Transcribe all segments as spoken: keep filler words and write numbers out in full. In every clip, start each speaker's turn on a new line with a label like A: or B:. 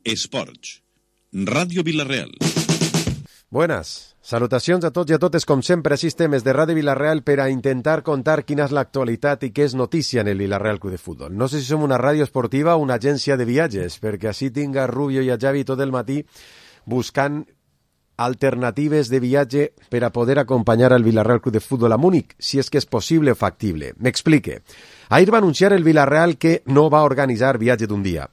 A: Esports. Ràdio Vila-real.
B: Buenas. Salutacions a tots i a totes, com sempre, així estem des de Ràdio Vila-real per a intentar contar quina és l'actualitat i què és notícia en el Vila-real Club de Futbol. No sé si som una ràdio esportiva o una agència de viatges, perquè així tinc a Rubio i a Javi tot el matí buscant alternatives de viatge per a poder acompanyar al Vila-real Club de Futbol a Múnich, si és que és possible o factible. M'explique. Ahir va anunciar el Vila-real que no va organitzar viatge d'un dia.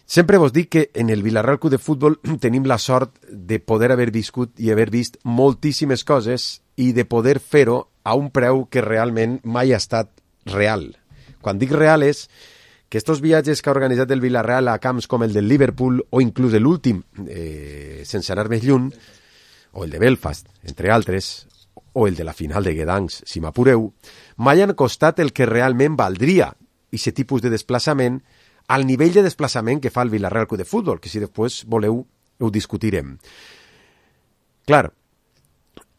B: Sempre vos dic que en el Vila-real Club de Futbol tenim la sort de poder haver viscut i haver vist moltíssimes coses i de poder fer-ho a un preu que realment mai ha estat real. Quan dic real és que estos viatges que ha organitzat el Vila-real a camps com el del Liverpool o inclús l'últim, eh, sense anar més lluny, o el de Belfast, entre altres, o el de la final de Gdansk, si m'apureu, mai han costat el que realment valdria aquest tipus de desplaçament al nivell de desplaçament que fa el Vila-real Club de Futbol, que si després voleu ho discutirem. Clar,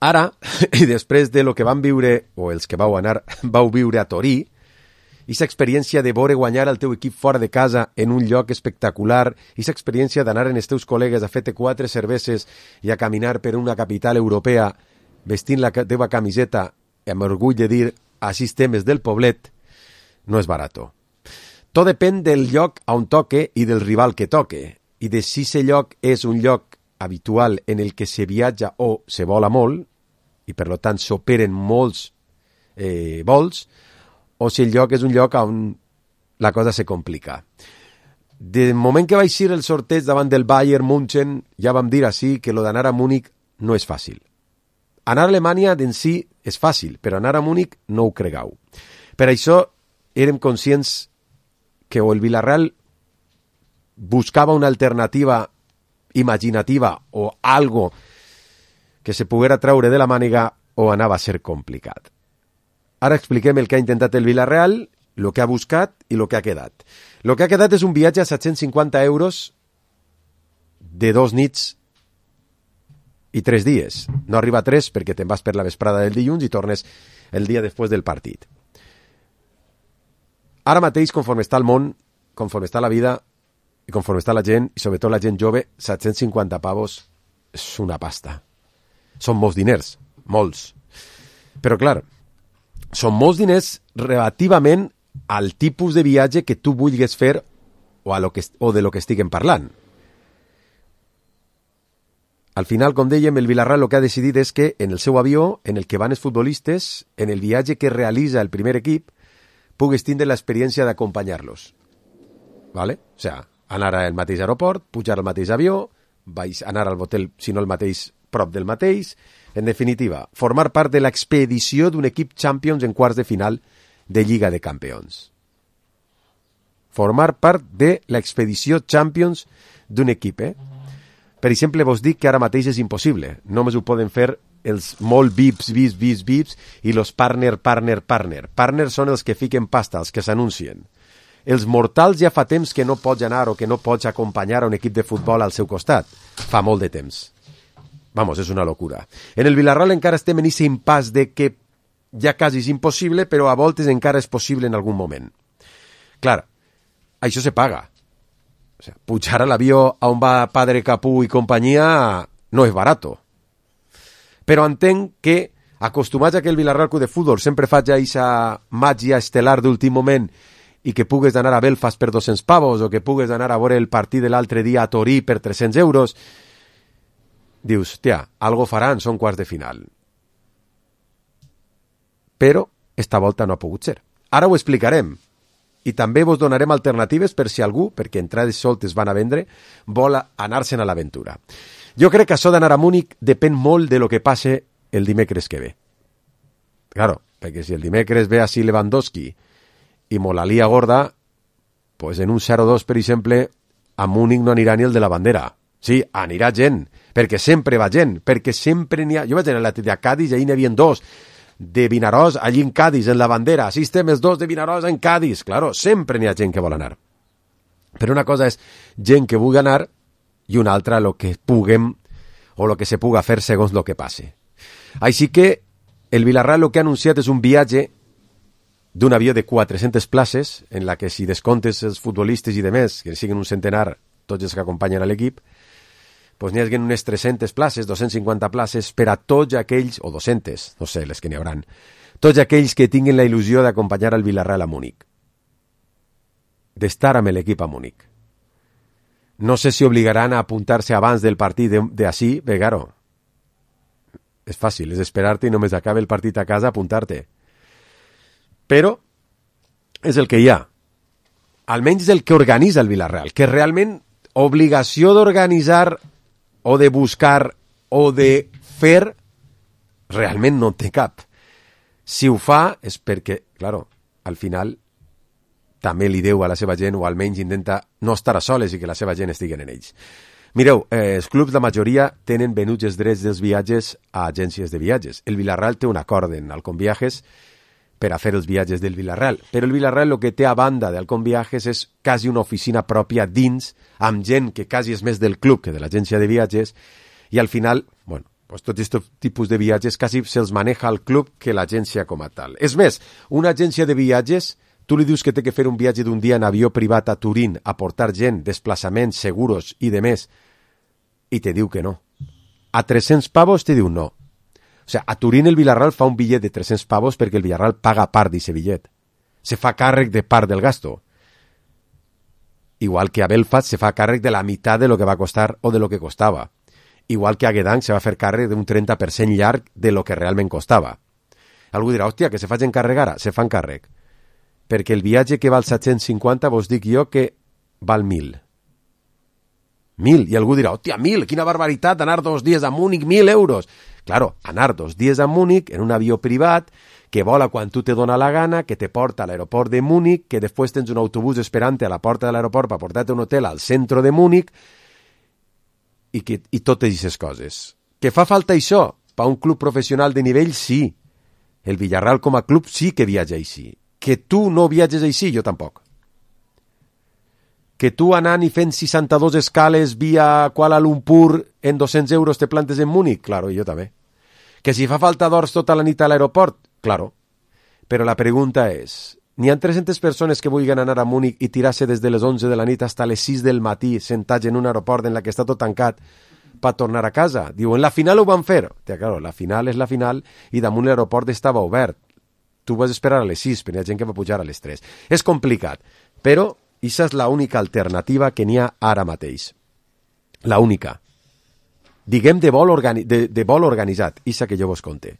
B: ara, i després de lo que vam viure, o els que vau anar, vau viure a Torí, aquesta experiència de veure guanyar el teu equip fora de casa en un lloc espectacular, aquesta experiència d'anar amb els teus col·legues a fer-te quatre cerveses i a caminar per una capital europea vestint la teva camiseta amb orgull de dir així estem des del poblet, no és barato. Tot depèn del lloc on toque i del rival que toque, i de si aquest lloc és un lloc habitual en el que se viatja o se vola molt, i per tant s'operen molts eh, vols, o si el lloc és un lloc on la cosa se complica. De moment que vaig ser el sorteig davant del Bayern München, ja vam dir així que lo d'anar a Múnich no és fàcil. Anar a Alemanya d'en si és fàcil, però anar a Múnich no ho cregueu. Per això érem conscients que o el Vila-real buscava una alternativa imaginativa o algo que se poguera treure de la màniga o anava a ser complicat. Ara expliquem el que ha intentat el Vila-real, el que ha buscat i el que ha quedat. El que ha quedat és un viatge a set-cents cinquanta euros de dos nits i tres dies. No arriba a tres perquè te'n vas per la vesprada del dilluns i tornes el dia després del partit. Ara mateix, conforme està el món, conforme està la vida i conforme està la gent, i sobretot la gent jove, set-cents cinquanta pavos és una pasta. Són molts diners, molts. Però clar, són molts diners relativament al tipus de viatge que tu vulguis fer o, a lo que, o de lo que estiguem parlant. Al final, com dèiem, el Vila-real el que ha decidit és que en el seu avió, en el que van els futbolistes, en el viatge que realitza el primer equip, puguis tindre l'experiència d'acompanyar-los. ¿Vale? O sea, anar al mateix aeroport, pujar al mateix avió, vais anar al hotel, si no el mateix, prop del mateix. En definitiva, formar part de l'expedició d'un equip Champions en quarts de final de Lliga de Campions. Formar part de l'expedició Champions d'un equip, eh? Per exemple, vos dic que ara mateix és impossible. Només ho poden fer els molt V I Ps, V I Ps, V I Ps, V I Ps i los partner, partner, partner. Partner són els que fiquen pasta, els que s'anuncien. Els mortals ja fa temps que no pots anar o que no pots acompanyar a un equip de futbol al seu costat. Fa molt de temps. Vamos, és una locura. En el Vila-real encara estem en aquest impàs de que ja quasi és impossible, però a voltes encara és possible en algun moment. Clar, això se paga. O sea, pujar a l'avió on va Padre Capú i companyia no és barato. Però entenc que, acostumats a que el Vila-real Club de Futbol sempre faig aquesta màgia estel·lar d'últim moment i que pugues anar a Belfast per dos-cents pavos o que pugues anar a veure el partit de l'altre dia a Torí per tres-cents euros, dius, tia, algo faran, són quarts de final. Però esta volta no ha pogut ser. Ara ho explicarem. I també vos donarem alternatives per si algú, perquè entrades soltes van a vendre, vol anar-se'n a l'aventura. Jo crec que això d'anar a Múnich depèn molt de lo que passe el dimecres que ve. Claro, perquè si el dimecres ve així Lewandowski i molt la lia gorda, pues en un zero dos, per exemple, a Múnich no anirà ni el de la bandera. Sí, anirà gent, perquè sempre va gent, perquè sempre n'hi ha... Jo vaig anar a la Cádiz i ahir n'hi havia dos de Vinaròs, allí en Cádiz, en la bandera. Així estem els dos de Vinaròs en Cádiz. Claro, sempre n'hi ha gent que vol anar. Però una cosa és gent que vulgui anar i una altra lo que puguem o lo que se puga fer segons lo que passe. Així que el Vila-real lo que ha anunciat és un viatge d'un avió de quatre-centes places, en la que si descomptes els futbolistes i demés, que siguin un centenar, tots els que acompanyen a l'equip, doncs n'hi hagi unes tres-centes places, dos-cents cinquanta places per a tots aquells, o dos-centes, no sé, les que n'hi hauran, tots aquells que tinguin la il·lusió d'acompanyar al Villarreal a Múnich, d'estar amb l'equip a Múnich. No sé si obligaran a apuntar-se abans del partit d'ací, bé, claro, és fàcil, és esperar-te i només acabe el partit a casa apuntar-te. Però és el que hi ha. Almenys és el que organitza el Villarreal, que realment obligació d'organitzar o de buscar o de fer realment no té cap. Si ho fa és perquè, claro, al final també li deu a la seva gent o almenys intenta no estar a soles i que la seva gent estigui en ells. Mireu, eh, els clubs, la majoria, tenen venuts els drets dels viatges a agències de viatges. El Villarreal té un acord en Halcón Viajes per a fer els viatges del Villarreal. Però el Villarreal el que té a banda d'Halcón Viajes és quasi una oficina pròpia dins, amb gent que quasi és més del club que de l'agència de viatges, i al final, bueno, pues tots aquests tipus de viatges quasi se'ls maneja al club que l'agència com a tal. És més, una agència de viatges, tu li dius que té que fer un viatge d'un dia en avió privat a Turín, a portar gent, desplaçaments, seguros i de més, i te diu que no. A tres-cents pavos te diu no. O sigui, a Turín el Villarreal fa un bitllet de tres-cents pavos perquè el Villarreal paga part d'aquest bitllet. Se fa càrrec de part del gasto. Igual que a Belfast se fa càrrec de la meitat de lo que va costar o de lo que costava. Igual que a Gdansk se va fer càrrec d'un trenta per cent llarg de lo que realment costava. Algú dirà, hòstia, que se facin càrrec ara? Se fan càrrec. Perquè el viatge que val set-cents cinquanta vos dic jo que val mil. Mil. I algú dirà, hòstia, mil, quina barbaritat, anar dos dies a Múnich, mil euros. Claro, anar dos dies a Múnich en un avió privat que vola quan tu te dona la gana, que te porta a l'aeroport de Múnich, que després tens un autobús esperant a la porta de l'aeroport per portar-te un hotel al centre de Múnich i, que, i totes aquestes coses. Que fa falta això per un club professional de nivell? Sí. El Villarreal com a club sí que viatja així. Que tu no viatges així, jo tampoc. Que tu anant i fent seixanta-dos escales via Kuala Lumpur en dos-cents euros te plantes en Múnich? Claro, jo també. Que si fa falta d'hores tota la nit a l'aeroport? Claro. Però la pregunta és, n'hi ha tres-centes persones que vulguin anar a Múnich i tirar-se des de les onze de la nit fins a les sis del matí sentats en un aeroport en la que està tot tancat per tornar a casa? Diuen, la final ho van fer. Tia, claro, la final és la final i damunt l'aeroport estava obert. Tu vas esperar a les sis, però hi ha gent que va pujar a les tres. És complicat, però aquesta és l'única alternativa que n'hi ha ara mateix. La única. Diguem de vol, organi de, de vol organitzat, aquesta que jo vos conté.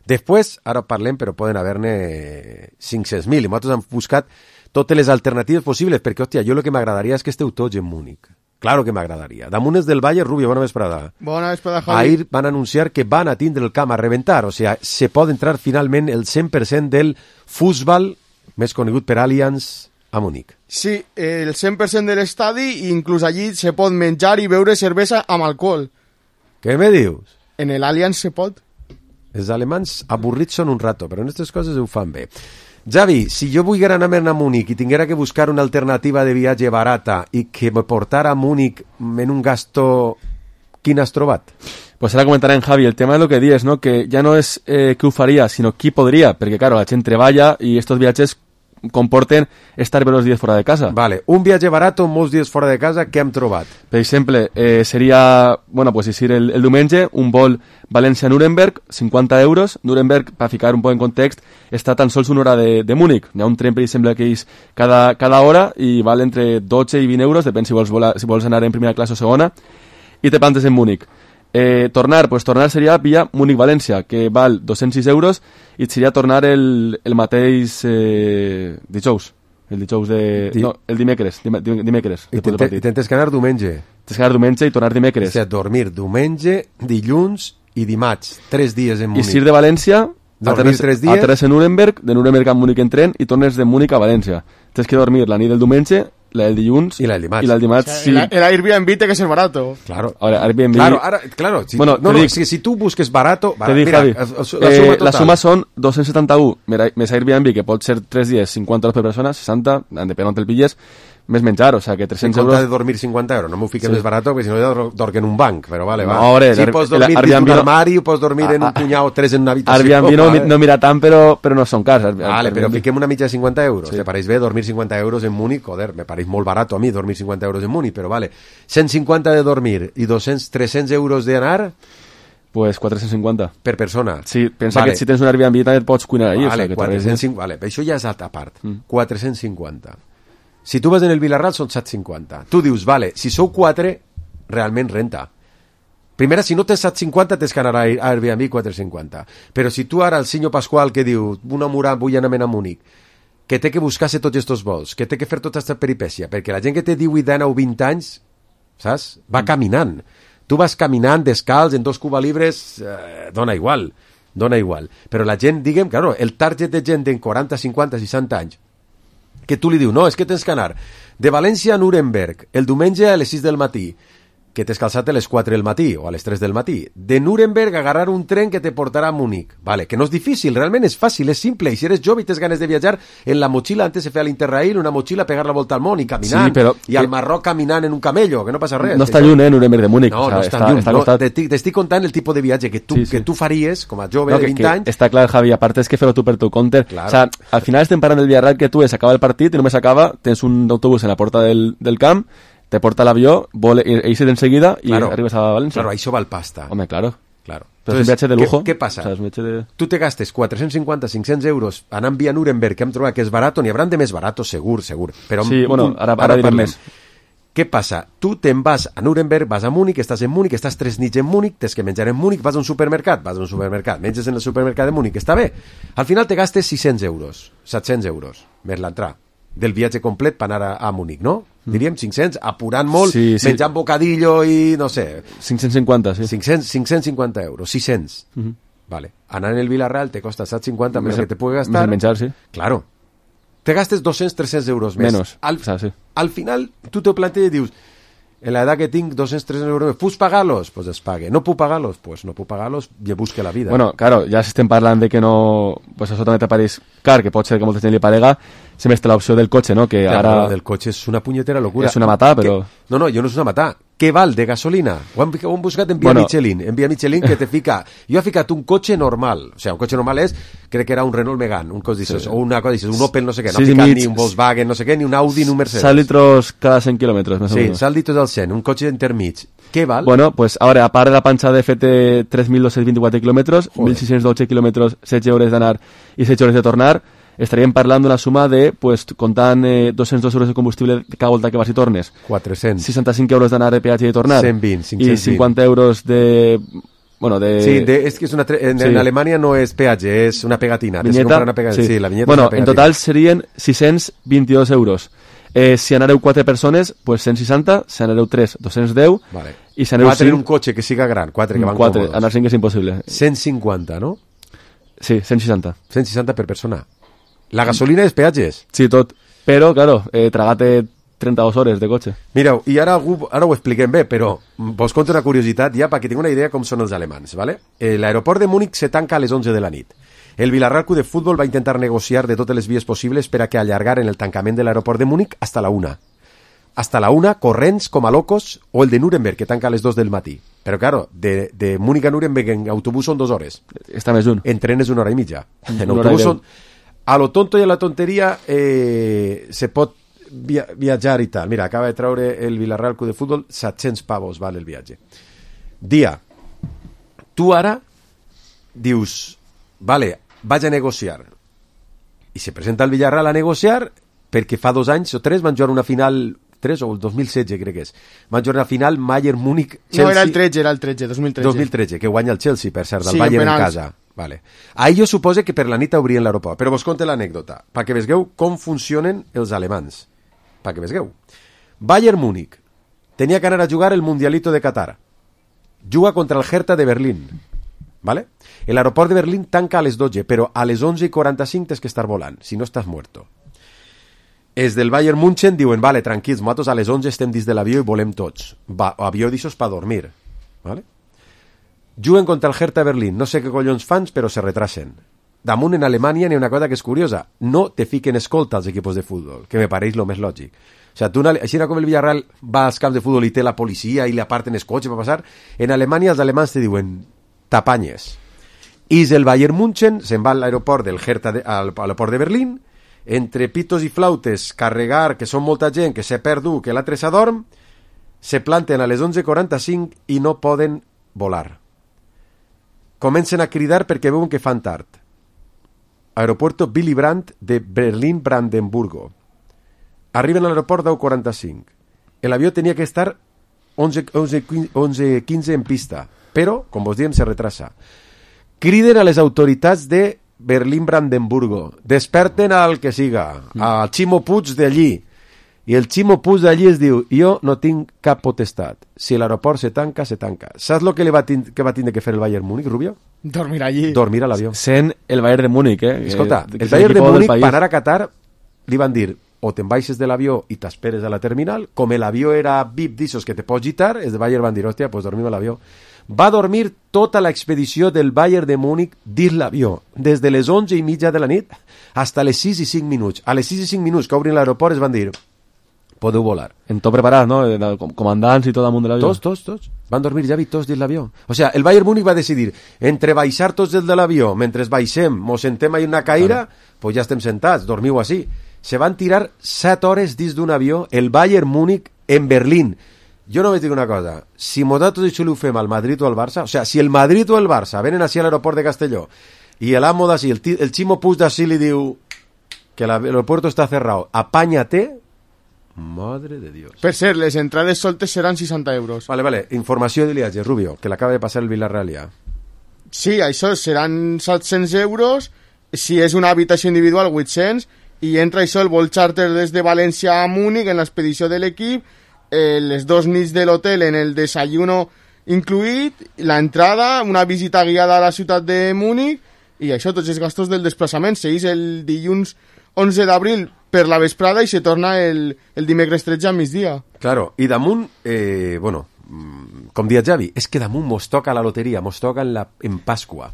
B: Després, ara parlem, però poden haver-ne cinc-cents mil, i nosaltres hem buscat totes les alternatives possibles, perquè, hòstia, jo el que m'agradaria és que esteu tots en Múnich. Claro que m'agradaria. Damunt és del Valle, Rubio, bona vesprada.
C: Bona vesprada, Javi.
B: Ahir van anunciar que van a tindre el camp a reventar, o sigui, se pot entrar finalment el cent per cent del futbol, més conegut per Allianz, a Múnich.
C: Sí, el cent per cent de l'estadi i inclús allí se pot menjar i beure cervesa amb alcohol.
B: Què me dius?
C: En el Allianz se pot.
B: Els alemans avorrits són un rato, però en aquestes coses ho fan bé. Javi, si jo vull anar a Múnich i tinguera que buscar una alternativa de viatge barata i que me portara a Múnich en un gasto, quin has trobat?
D: Pues ahora comentará en Javi el tema de lo que dices, ¿no? Que ya no es eh, que ho faria, sino qui podria, perquè claro, la gent treballa i estos viatges comporten estar varios días fuera de casa.
B: Vale, un viatge barato, molts dies fora de casa, què hem trobat?
D: Per exemple, eh, seria, bueno, pues decir el, el diumenge, un vol València-Nuremberg, cinquanta euros. Nuremberg, per ficar un poc en context, està tan sols una hora de, de Múnich. Hi ha un tren, per exemple, que és cada, cada hora i val entre dotze i vint euros, depèn si vols, volar, si vols anar en primera classe o segona, i te plantes en Múnich. Eh, tornar, pues tornar seria via Múnich-València, que val dos-cents sis euros, i seria tornar el, el mateix eh, dijous, el dijous de... Di... no, el dimecres, dim, dim, dimecres.
B: I tens que anar diumenge.
D: Tens que anar diumenge i tornar dimecres.
B: O sigui, dormir diumenge, dilluns i dimarts, tres dies en Múnich.
D: I sir de València,
B: dormir tres dies,
D: aterres a Nuremberg, de Nuremberg a Múnich en tren, i tornes de Múnich a València. Tens que dormir la nit del diumenge, la del dilluns
B: y la del dimarts.
D: Y la del dimarts,
C: o sea,
D: sí.
C: El, el Airbnb té que ser barato.
B: Claro.
D: Ahora, Airbnb...
B: Claro, ahora, claro. Si,
D: bueno,
B: no, no,
D: dic,
B: si, si tu busques barato...
D: Te dic,
B: mira,
D: Javi,
B: la, la,
D: suma eh, la suma són dos-cents setanta-u més Airbnb, que pot ser tres dies, cinquanta euros per persona, seixanta, depèn on te'l pilles, més menjar, o sea que tres-cents
B: en compte
D: euros...
B: de dormir cinquanta euros, no m'ho fiques
D: Sí.
B: més barat, perquè si no ja dorm en un banc, però vale, va.
D: No, hombre,
B: sí,
D: el-
B: pots
D: el
B: dormir dins
D: Airbnb
B: d'un
D: no-
B: armari, pots dormir en un
D: Ah, ah.
B: punyau o tres en una habitació.
D: Airbnb no,
B: vale.
D: no mira tant, però, però no són cars. Airbnb.
B: Vale, però fiquem una mitja de cinquanta euros.
D: Sí.
B: ¿Te pareix bé dormir cinquanta euros en Múnich? Joder, me pareix molt barato a mi dormir cinquanta euros en Múnich, però vale. cent cinquanta de dormir i doscientos, trescientos euros d'anar
D: Pues quatre-cents cinquanta.
B: per persona.
D: Sí, pensa
B: Vale.
D: que si tens un Airbnb també et pots cuinar allí.
B: Vale,
D: o sea, que
B: quatre-cents
D: te-
B: cinquanta, vale, això ja és a part.
D: Mm.
B: quatre-cents cinquanta. Si tu vas en el Vilarral són set cents cinquanta. Tu dius, vale, si sou quatre, realment renta. Primera, si no tens set cents cinquanta, tens que anar a Airbnb quatre-cents cinquanta. Però si tu ara, el senyor Pasqual que diu, una murà, vull anar a Múnich, que té que buscar-se tots aquests vols, que té que fer tota aquesta peripècia, perquè la gent que té divuit, dinou o vint anys, saps? Va
D: Mm.
B: caminant. Tu vas caminant descalç en dos Cuba Libres, eh, dona igual, dona igual. Però la gent, diguem, claro, el target de gent de quaranta, cinquanta, seixanta anys, que tu li dius, no, és que tens que anar de València a Nuremberg el diumenge a les sis del matí, que t'has calçat a les quatre del matí o a les tres del matí. De Nuremberg agarrar un tren que te portarà a Múnich. Vale, que no és difícil, realment és fàcil, és simple. I si eres jove i tens ganes de viatjar, en la motxilla, antes se feia l'Interrail, una motxilla, pegar la volta al món i caminant.
D: Sí, però-
B: I al Marroc caminant en un camello, que no passa res.
D: No
B: que
D: està
B: això-
D: lluny, eh, Nuremberg de Múnich.
B: No,
D: o sea,
B: no està,
D: està,
B: lluny.
D: està
B: No,
D: costat.
B: t'estic t'estic contant el tipus de viatge que tu,
D: Sí, sí.
B: que tu faries, com a jove
D: No,
B: de
D: que,
B: vint
D: que
B: anys.
D: està clar, Javi, a part és que fer-ho tu per tu compte.
B: Claro.
D: O sea, al final estem parlant del Villarreal que tu és, acaba el partit i només acaba, tens un autobús en la porta del, del camp, te porta l'avió, vol irse enseguida i
B: Claro.
D: arribes a València.
B: Claro, això val pasta.
D: Home, claro.
B: Claro.
D: Però és un viatge de
B: ¿qué-
D: lujo.
B: ¿Qué, passa?
D: O sea, és un viatge de...
B: Tu te gastes quatre-cents cinquanta, cinc-cents euros anant via Nuremberg, que hem trobat que és barat, n'hi hauran de més baratos, segur, segur. Però
D: Sí, bueno, ara- ara direm
B: parlem.
D: més.
B: Què passa? Tu te'n vas a Nuremberg, vas a Múnich, estàs en Múnich, estàs tres nits en Múnich, tens que menjar en Múnich, vas a un supermercat, vas a un supermercat, menges en el supermercat de Múnich, està bé. Al final te gastes sis-cents euros, set-cents euros, més l'entrada del viatge complet per anar a, a Múnich, no? Diríem cinc-cents, apurant molt,
D: Sí, sí.
B: menjant bocadillo i no sé,
D: cinc-cents cinquanta, sí.
B: cinc-cents, cinc-cents cinquanta euros, sis cents.
D: Mhm.
B: Vale. Anar en el Villarreal te costa set cinquanta més
D: Més-
B: que te pugui
D: més
B: gastar.
D: el menjar, sí.
B: Claro. Te gastes doscientos, trescientos euros més.
D: Menos.
B: Al,
D: O sea, sí.
B: al final, tu te plantees i dius, en la edad que tinc, doscientos, trescientos euros més, ¿puc pagar-los? Pues es pague. ¿No puc pagar-los? Pues no puc pagar-los i busque la vida.
D: Bueno, claro, ja si estem parlant de que no... Pues això també t'apareix car, que pot ser que molta gent li parega, sempre està l'opció del cotxe, no? Que
B: Claro,
D: ara...
B: lo del cotxe és una punyetera locura.
D: És una matà, però-
B: Que- No, no, jo no és una matà. Què val de gasolina? Ho hem, ho hem buscat en Via
D: Bueno.
B: Michelin. En Via Michelin que te fica... Jo he ficat un cotxe normal. O sea, un cotxe normal és, crec que era un Renault Megane, un cos dices,
D: Sí.
B: o una cosa dices, un Opel no sé què. No
D: Sis
B: ha ficat
D: mig-
B: ni un Volkswagen, no sé què, ni un Audi, ni un Mercedes.
D: set litros cada cent quilòmetres, més o
B: Sí,
D: menys.
B: salditos al cent, un cotxe intermig. Què val?
D: Bueno, pues ahora, a part de la panxa de F T tres mil doscientos veinticuatro kilómetros,
B: Joder.
D: mil sis-cents dotze kilómetros, setze hores d'anar i setze hores de tornar, estaríem parlant d'una suma de, pues, comptant eh, dos-cents dos euros de combustible cada volta que vas i tornes,
B: quatre-cents.
D: seixanta-cinc euros d'anar de peatge i de tornar,
B: cent vint,
D: i
B: cinc-cents vint.
D: cinquanta euros de... Bueno, de...
B: Sí, de, és que és una tre- en,
D: sí.
B: en Alemanya no és peatge, és una pegatina. Tens que
D: vinyeta,
B: comprar una pegatina. Sí. la vinyeta
D: bueno,
B: és una
D: en
B: pegatina.
D: total serien sis-cents vint-i-dos euros. Eh, si anareu quatre persones, pues cent seixanta, si anareu tres, dos-cents deu,
B: Vale.
D: i si aneu
B: Quatre en
D: cinc,
B: un cotxe que siga gran, quatre que van
D: quatre,
B: còmodos.
D: anar cinc és impossible.
B: cent cinquanta, no?
D: Sí, cent seixanta.
B: cent seixanta per persona. La gasolina és peatges.
D: Sí, tot. Però, claro, eh, tragate trenta-dos hores de cotxe.
B: Mireu, i ara, algú, ara ho expliquem bé, però vos conto una curiositat ja perquè tinc una idea com són els alemans, ¿vale? Eh, L'aeroport de Múnich se tanca a les onze de la nit. El Villarreal Club de Futbol va intentar negociar de totes les vies possibles per a que allargaren el tancament de l'aeroport de Múnich hasta la una. Hasta la una, corrents com a locos, o el de Nuremberg, que tanca a les dos del matí. Però, claro, de, de Múnich a Nuremberg en autobús són dues hores.
D: Està més lluny.
B: En tren és una hora i mitja. En
D: Una hora i
B: autobús
D: deu.
B: són... A lo tonto i a la tonteria eh, se pot via viatjar i tal. Mira, acaba de traure el Villarreal Club de Futbol set-cents pavos val el viatge. Dia, tu ara dius, vale, vaig a negociar. I se presenta el Villarreal a negociar perquè fa dos anys o tres van jugar una final, tres o el dos mil setze crec que és, van jugar una final Bayern-Múnich-Chelsea.
C: No, era el tretze, era el tretze, dos mil tretze.
B: dos mil tretze, que guanya el Chelsea, per cert, del
C: Sí,
B: Bayern en
C: penals.
B: casa. Vale. Ahir jo supose que per la nit obrien l'aeroport, però vos conte l'anècdota, perquè vegueu com funcionen els alemans. Perquè vegueu. Bayern Múnich tenia que anar a jugar el Mundialito de Qatar. Juga contra el Hertha de Berlín. ¿Vale? El aeroport de Berlín tanca a les dotze, però a les onze i quaranta-cinc tens que estar volant, si no estàs muerto. Els del Bayern München diuen, vale, tranquils, nosaltres a les onze estem dins de l'avió i volem tots. Va, avió d'aixòs per dormir. ¿Vale? Juguen contra el Hertha Berlín, no sé què collons fans, però se retrasen. Damunt en Alemanya n'hi ha una cosa que és curiosa, no te fiquen escolta als equipos de futbol, que me pareix lo més lògic. O sea, tú, així com el Villarreal va als camps de futbol i té la policia i li aparten els cotxes per passar, en Alemanya els alemans te diuen t'apanyes. I el Bayern München se'n va a l'aeroport del Hertha de, al aeroport de Berlín, entre pitos i flautes, carregar, que són molta gent, que se perdu, que l'altre s'adorm, se planten a les onze quaranta-cinc i no poden volar. Comencen a cridar perquè veuen que fan tard. Aeropuerto Willy Brandt de Berlín-Brandenburgo. Arriben a l'aeroport deu quaranta-cinc. L'avió tenia que estar onze quinze en pista, però, com vos diem, se retrasa. Criden a les autoritats de Berlín-Brandenburgo. Desperten al que siga, al Ximo Puig d'allí. I el Ximo Puig d'allí es diu, jo no tinc cap potestat. Si l'aeroport se tanca, se tanca. Saps el que, li va tind- que va tindre que fer el Bayern Múnich, Rubio?
C: Dormir allí.
B: Dormir a l'avió.
D: Sent el Bayern de Múnich, eh?
B: Escolta,
D: Que-
B: el
D: que
B: Bayern de
D: l'equipo del
B: Múnich,
D: país.
B: per anar a Qatar, li van dir, o te'n baixes de l'avió i t'esperes a la terminal, com l'avió era V I P d'ixos que te pots gitar, els de Bayern van dir, hòstia, pues dormim a l'avió. Va dormir tota l'expedició del Bayern de Múnich dins l'avió, des de les onze i mitja de la nit fins a les sis i cinc minuts. A les sis i cinc minuts que obrin l'aeroport es van dir, podeu volar.
D: En tot preparat, no? Eh, com- Comandants i tot damunt de l'avió.
B: Tots, tots, tots. Van dormir ja tots dins l'avió. O sea, el Bayern Múnich va decidir entre baixar tots des de l'avió, mentre baixem, mos sentem ahí una caïra, pues ja estem sentats, dormiu així. Se van tirar set hores dins d'un avió, el Bayern Múnich en Berlín. Jo no vaig dir una cosa, si nosaltres això ho fem al Madrid o al Barça, o sea, si el Madrid o el Barça venen així a l'aeroport de Castelló i l'amo d'ací, el, ti- el Ximo Puig d'ací li diu que l'aeropuerto està cerrado, apáñate, madre de Dios.
C: Per cert, les entrades soltes seran seixanta euros.
B: Vale, vale, informació de viatge, Rubio, que l'acaba de passar el Villarreal ja.
C: Sí, això seran set-cents euros, si és una habitació individual, vuit-cents, i entra això el vol charter des de València a Múnich en l'expedició de l'equip, eh, les dos nits de l'hotel en el desayuno incluït, la entrada, una visita guiada a la ciutat de Múnich, i això, tots els gastos del desplaçament. Seguís el dilluns onze d'abril per la vesprada i se torna el, el dimecres tretze a migdia.
B: Claro, i damunt, eh, bueno, mm, com dia Javi, és que damunt mos toca la loteria, mos toca en, la, en Pasqua.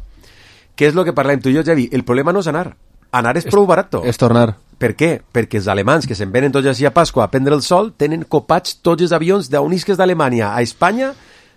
B: Què és el que parlem tu i jo, Javi? El problema no és anar. Anar és prou barato.
D: És tornar.
B: Per què? Perquè els alemans que se'n venen tots així a Pasqua a prendre el sol tenen copats tots els avions d'on isques d'Alemanya a Espanya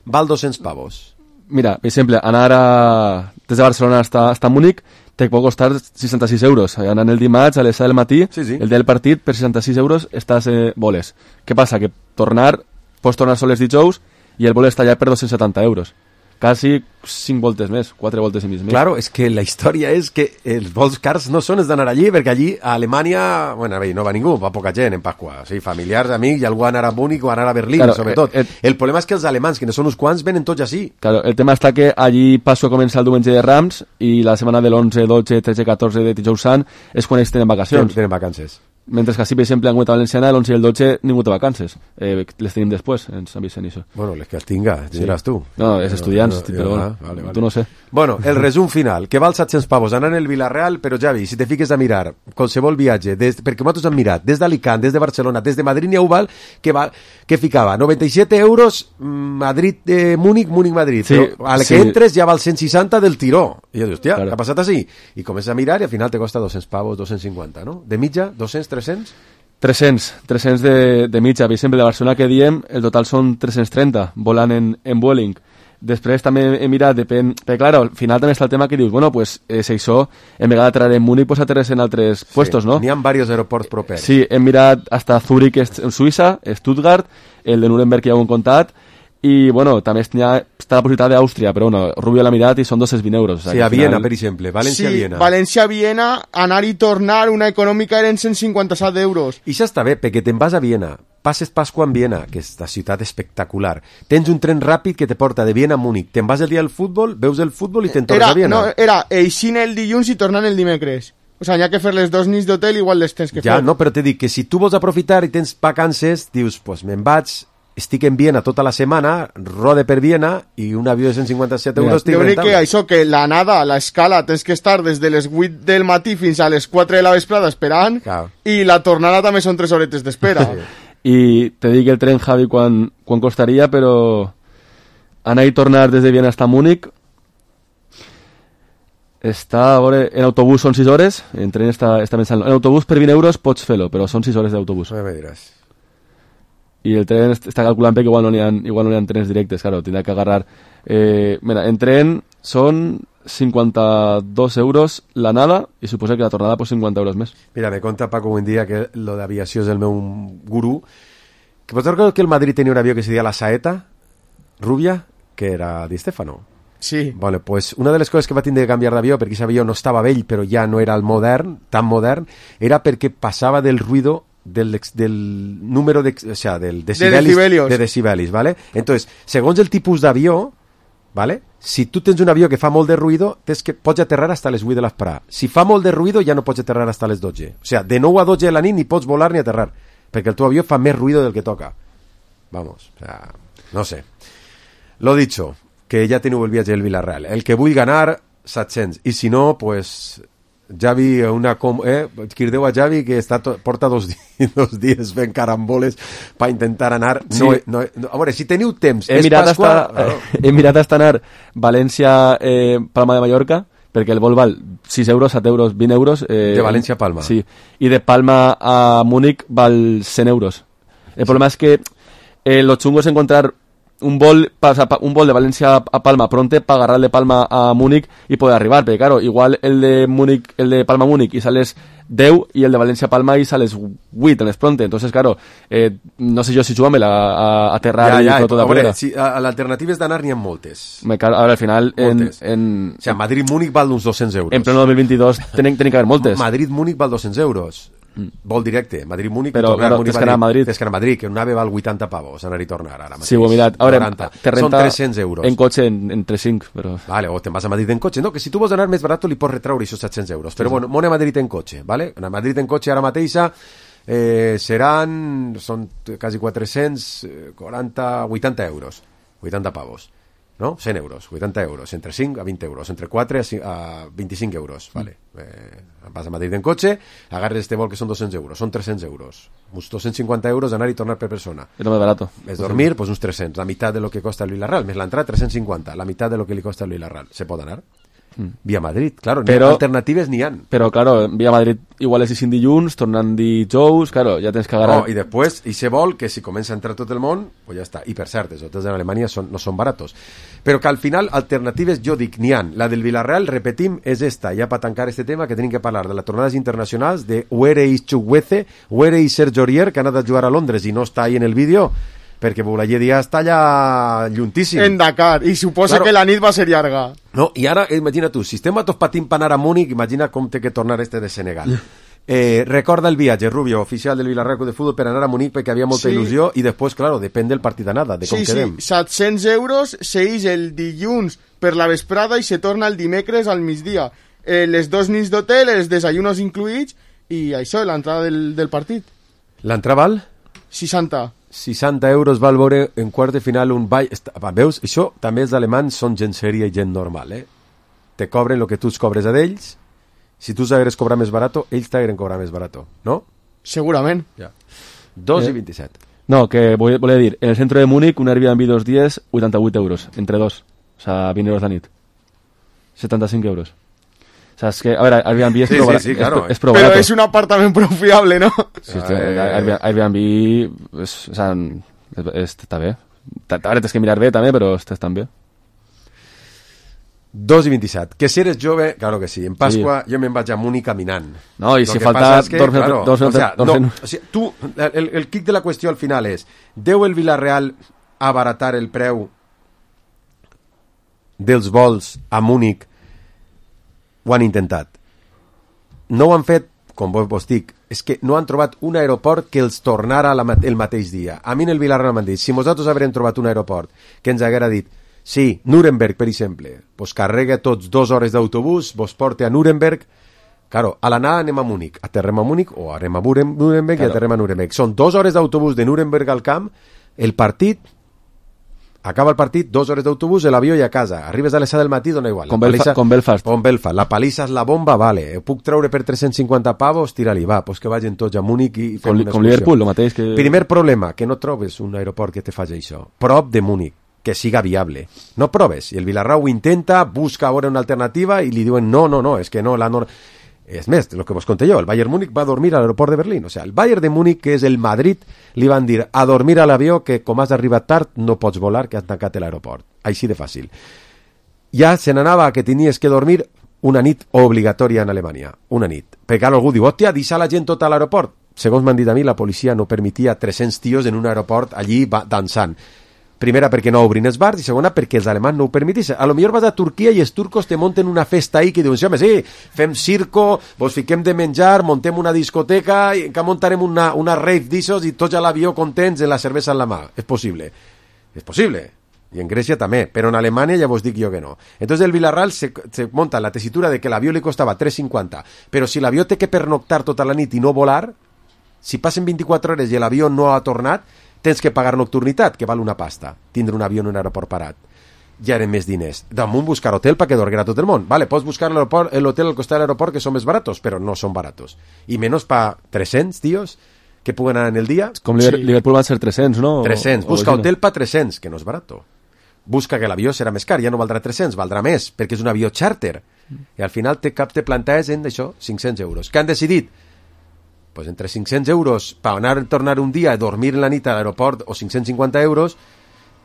B: val dos-cents pavos.
D: Mira, per exemple, anar a... des de Barcelona hasta, hasta Múnich te pot costar seixanta-sis euros. Anant el dimarts a les set del matí,
B: Sí, sí.
D: el dia del partit, per seixanta-sis euros estàs eh, voles. Què passa? Que tornar, pots tornar sols dijous i el vol està allà per dos-cents setanta euros. Quasi cinc voltes més, quatre voltes i mig més.
B: Claro, és que la història és que els vols cars no són els d'anar allí, perquè allí a Alemanya, bueno, bé, no va ningú, va poca gent en Pasqua. O sigui, familiars, amics, i algú anar a Múnich o anar a Berlín,
D: Claro,
B: sobretot.
D: eh, eh,
B: el problema és que els alemans, que no són uns quants, venen tots així.
D: Claro, el tema està que allí Pasqua comença el diumenge de Rams i la setmana de l'onze, dotze, tretze, catorze de Dijous Sant és quan ells tenen vacacions.
B: Tenen vacances.
D: Mentre que així, per exemple, en Gueta Valenciana, l'onze i el dotze ningú té vacances. Eh, les tenim després, ens avisen això.
B: Bueno, les que els tinga, diràs tu.
D: No, és estudiants,
B: no,
D: però
B: no,
D: bueno,
B: vale, vale.
D: tu no sé.
B: Bueno, el resum final, que val set-cents pavos anar en el Villarreal, però Javi, si te fiques a mirar qualsevol viatge, des, perquè nosaltres hem mirat, des d'Alicant, des de Barcelona, des de Madrid n'hi ha val, que, va, que ficava noranta-set euros Madrid, eh, Múnich, Múnich-Madrid,
D: Sí,
B: però al que
D: sí.
B: entres ja val cent seixanta del tiró. I jo dic, hòstia,
D: Claro.
B: què ha passat així? I comences a mirar i al final te costa dos-cents pavos, dos-cents cinquanta, no? De mitja, dos-cents, tres-cents?
D: tres-cents, tres-cents de, de mitja. Per exemple, de Barcelona que diem, el total són tres-cents trenta, volant en, en Vueling. Després també he mirat, depèn... Perquè, clar, al final també està el tema que dius, bueno, pues, eh, si això, en vegada de traure en Múnich, pues aterres en altres sí. puestos, no?
B: N'hi ha diversos aeroports propers.
D: Sí, hem mirat hasta Zúrich, est- en Suïssa, Stuttgart, el de Nuremberg ja ho hem contat, i, bueno, també està, està la possibilitat d'Àustria, però, bueno, Rubio l'ha mirat i són dos-cents vint euros. O
B: Sí,
D: sigui,
B: a
D: al
B: Viena,
D: final-
B: per exemple, València-Viena.
C: Sí, València-Viena, anar i tornar, una econòmica eren cent cinquanta-set euros.
B: I això està bé, perquè te'n vas a Viena, passes Pasqua en Viena, que és una ciutat espectacular, tens un tren ràpid que te porta de Viena a Múnich, te'n vas el dia del futbol, veus el futbol i te'n tornes
C: Era,
B: a Viena.
C: no, era eixint el dilluns i tornant el dimecres. O sigui, n'hi ha que fer les dos nits d'hotel, igual les tens que
B: Ja,
C: fer.
B: no, però te dic que si tu vols aprofitar i tens vacances, dius, pues me'n vaig, estic en Viena tota la setmana, rode per Viena i un avió de cent cinquanta-set
D: Mira,
B: euros estic
C: L'únic que
B: rentable.
C: això, que l'anada, l'escala, tens que estar des de les vuit del matí fins a les quatre de la vesprada esperant,
B: Clar.
C: i la tornada també són tres horetes d'espera.
D: I te dic el tren, Javi, quan, quan costaria, però anar i tornar des de Viena hasta Múnich està, a veure, en autobús són sis hores, en tren està, està pensant, en autobús per vint euros pots fer-lo, però són sis hores d'autobús.
B: No me diràs.
D: y el tren está calculando que igual no n'hi ha, igual no n'hi ha trenes directes, claro, tendrá que agarrar... Eh, mira, en tren son cinquanta-dos euros l'anada i suposa que la tornada pues cinquanta euros més.
B: Mira, me conta Paco Buendía que lo d'aviació és el meu gurú, que vos recordo que el Madrid tenia un avió que se deia la Saeta Rubia, que era Di Stefano.
C: Sí.
B: Bueno, pues una de les coses que va tindre que canviar d'avió, perquè aquest avió no estava vell però ja no era el modern, tan modern, era perquè passava del ruido del, del número de, o sea, del decibelis,
C: de decibelios,
B: de decibelis, ¿vale? Entonces, segons el tipus d'avió, ¿vale? Si tu tens un avió que fa molt de ruïdo, tens que pots aterrar hasta les vuit de l'esprà. Si fa molt de ruïdo, ja no pots aterrar hasta les dotze. O sea, de nou a dotze de la nit ni pots volar ni aterrar, perquè el teu avió fa més ruïdo del que toca. Vamos, o sea, no sé. Lo dicho, que ja teniu el viatge del Villarreal. El que vull ganar, set-cents. I si no, pues... Javi, una com... Eh? Quirdeu a Javi, que està to... porta dos, di... dos dies fent caramboles per intentar anar...
D: Sí.
B: No, no, no, a veure, si teniu temps...
D: He
B: és
D: mirat,
B: Pasqua...
D: hasta, no. he mirat hasta anar València, eh, Palma de Mallorca, perquè el vol val sis euros, set euros, vint euros... Eh,
B: de València a Palma.
D: Sí, i de Palma a Múnich val cent euros. El problema es que eh, lo chungo es encontrar un vol, un vol de Valencia a Palma pronto para agarrar de Palma a Múnich y poder arribar, pero claro, igual el de Múnich, el de Palma a Múnich y sales deu y el de Valencia a Palma y sales huit en pronto, entonces claro, eh, no sé yo si súbame a, a aterrar
B: ja,
D: y
B: ja,
D: tot de
B: veure, si, a, a l'alternativa és d'anar n'hi ha moltes.
D: Me car ahora al final en, en,
B: o sea, Madrid-Múnich val uns dos-cents euros.
D: En pleno dos mil veintidós tenen, tenen que haver moltes.
B: Madrid-Múnich val dos-cents euros. Mm. Vol directe, Madrid-Múnich,
D: però claro, tens que anar a Madrid,
B: tens que anar a Madrid, que un ave val vuitanta pavos anar i tornar ara mateix.
D: Sí, ho he mirat. Ara, te renta
B: són tres-cents euros
D: en cotxe en, entre cinc, però...
B: Vale, o te'n vas a Madrid en cotxe, no, que si tu vols anar més barat li pots retraure aquests set-cents euros, però sí, bueno, mona a Madrid en cotxe, vale? A Madrid en cotxe ara mateixa eh, seran, són quasi quatre-cents quaranta, vuitanta euros, vuitanta pavos, no? cent euros, vuitanta euros, entre cinc a vint euros, entre quatre a vint-i-cinc euros, vale? Eh, vas a Madrid en cotxe, agarres este vol que són dos-cents euros, són tres-cents euros, uns dos-cents cinquanta euros anar i tornar per persona.
D: És molt barat.
B: És dormir, pues uns tres-cents, la meitat de lo que costa el Villarreal, més l'entrada tres-cents cinquanta, la meitat de lo que li costa el Villarreal. Se pot anar? Mm. Via Madrid, claro, però, alternatives n'hi han.
D: Però, claro, via Madrid igual és i dilluns, tornant dijous, claro, ja tens que agarrar...
B: No, i després, i se vol que si comença a entrar tot el món, pues ja està. I per cert, els hotels en Alemanya són, no són baratos. Però que al final, alternatives, jo dic, n'hi han. La del Villarreal, repetim, és esta. Ja per tancar este tema, que tenim que parlar de les tornades internacionals, de Where is Chukwueze, Where is Sergio Aurier, que ha anat a jugar a Londres i no està ahí en el vídeo, perquè Boulaye Díaz està allà lluntíssim.
C: En Dakar, i suposa claro, que la nit va ser llarga.
B: No, i ara, imagina tu, si estem a tots patint per anar a Múnich, imagina com té que tornar este de Senegal. Eh, recorda el viatge, Rubio, oficial del Villarreal Club de Fútbol, per anar a Múnich perquè havia molta sí. il·lusió, i després, claro, depèn del partit d'anada, de com
C: sí,
B: quedem.
C: Sí, set-cents euros s'eix el dilluns per la vesprada i se torna el dimecres al migdia. Eh, les dos nits d'hotel, els desayunos incluïts, i això, l'entrada del, del partit.
B: L'entrada val?
C: seixanta.
B: seixanta euros val veure en quart de final un ball. Veus? Això també els alemans són gent sèria i gent normal, eh? Te cobren el que tu els cobres a d'ells. Si tu s'hagueres cobrar més barato, ells t'hagueren cobrar més barato, ¿no?
C: Segurament.
B: Ja. dos
D: eh.
B: i vint-i-set.
D: No, que voy, voy a decir, en el centro de Múnich un Airbnb dos días, vuitanta-vuit euros, entre dos. O sea, vint euros la nit. setanta-cinc euros. O sea, es que, a ver, Airbnb es,
B: sí,
D: pro,
B: sí, sí, claro,
D: es, es pro
C: Pero
D: barato.
C: es un apartamento pro fiable, ¿no?
D: Sí, eh, Airbnb, Airbnb es, o sea, es, es, està bé. Ara tens que mirar bé també, però estàs tan bé.
B: dos i vint-i-set. Que si eres jove, claro que sí. En Pasqua sí. Jo me'n vaig a Múnich caminant.
D: No, i si falta
B: es que,
D: dos,
B: claro,
D: dos,
B: o sea,
D: dos,
B: no, o sea, tu, el, el clic de la qüestió al final és, deu el Villarreal abaratar el preu dels vols a Múnich? Ho han intentat. No ho han fet, com vos dic, és que no han trobat un aeroport que els tornara la, el mateix dia. A mi en el Villarreal m'han dit, si nosaltres haurem trobat un aeroport que ens haguera dit, sí, Nuremberg, per exemple, pues carrega tots dos hores d'autobús, vos porta a Nuremberg, claro, a l'anada anem a Múnich, aterrem a Múnich, o anem a Nuremberg claro. I aterrem a Nuremberg. Són dos hores d'autobús de Nuremberg al camp, el partit, acaba el partit, dos hores d'autobús, l'avió i a casa. Arribes a les set del matí, dona igual.
D: Com, Belfa, com Belfast.
B: Com Belfast. La palissa és la bomba, vale. Ho puc treure per tres-cents cinquanta pavos? Tira-li, va, pues que vagin tots a Múnich i fem
D: com,
B: una
D: com Liverpool, el mateix que...
B: Primer problema, que no trobes un aeroport que te faci això. Prop de Múnich, que siga viable. No proves. I el Villarreal ho intenta, busca ara una alternativa i li diuen no, no, no, és que no, la no... És més, el que vos conté jo, el Bayern Múnich va a dormir a l'aeroport de Berlín. O sea, el Bayern de Múnich, que és el Madrid, li van dir a dormir a l'avió que com has arribat tard no pots volar, que has tancat l'aeroport. Així de fàcil. Ja se n'anava que tenies que dormir una nit obligatòria en Alemanya. Una nit. Perquè algú diu, hòstia, deixa la gent tot a l'aeroport. Segons m'han dit a mi, la policia no permetia tres-cents tios en un aeroport allí dansant. Primera, perquè no obrin els bars, i segona, perquè els alemans no ho permeteixen. A lo millor vas a Turquia i els turcos te munten una festa ahí que diuen, sí, home, sí, fem circo, vos fiquem de menjar, montem una discoteca, i que muntarem una, una rave d'issos i tots a l'avió contents amb la cervesa en la mà. És possible. És possible. I en Grècia també, però en Alemanya ja vos dic jo que no. Entonces el Villarreal se, se monta la tesitura de que l'avió li costava tres cinquanta, però si l'avió té que pernoctar tota la nit i no volar, si passen vint-i-quatre hores i l'avió no ha tornat, tens que pagar nocturnitat, que val una pasta, tindre un avió en un aeroport parat. Ja eren més diners. Damunt buscar hotel perquè dorguera tot el món. Vale, pots buscar l'hotel al costat de l'aeroport que són més baratos, però no són baratos. I menys pa tres-cents, tios, que puguen anar en el dia.
D: Com sí. Liverpool van ser tres-cents, no?
B: tres-cents. Busca o hotel pa tres-cents, que no és barato. Busca que l'avió serà més car, ja no valdrà tres-cents, valdrà més, perquè és un avió charter. I al final te cap te plantees en això, cinc-cents euros. Què han decidit? Pues entre cinc-cents euros per anar a tornar un dia a dormir en la nit a l'aeroport o cinc-cents cinquanta euros,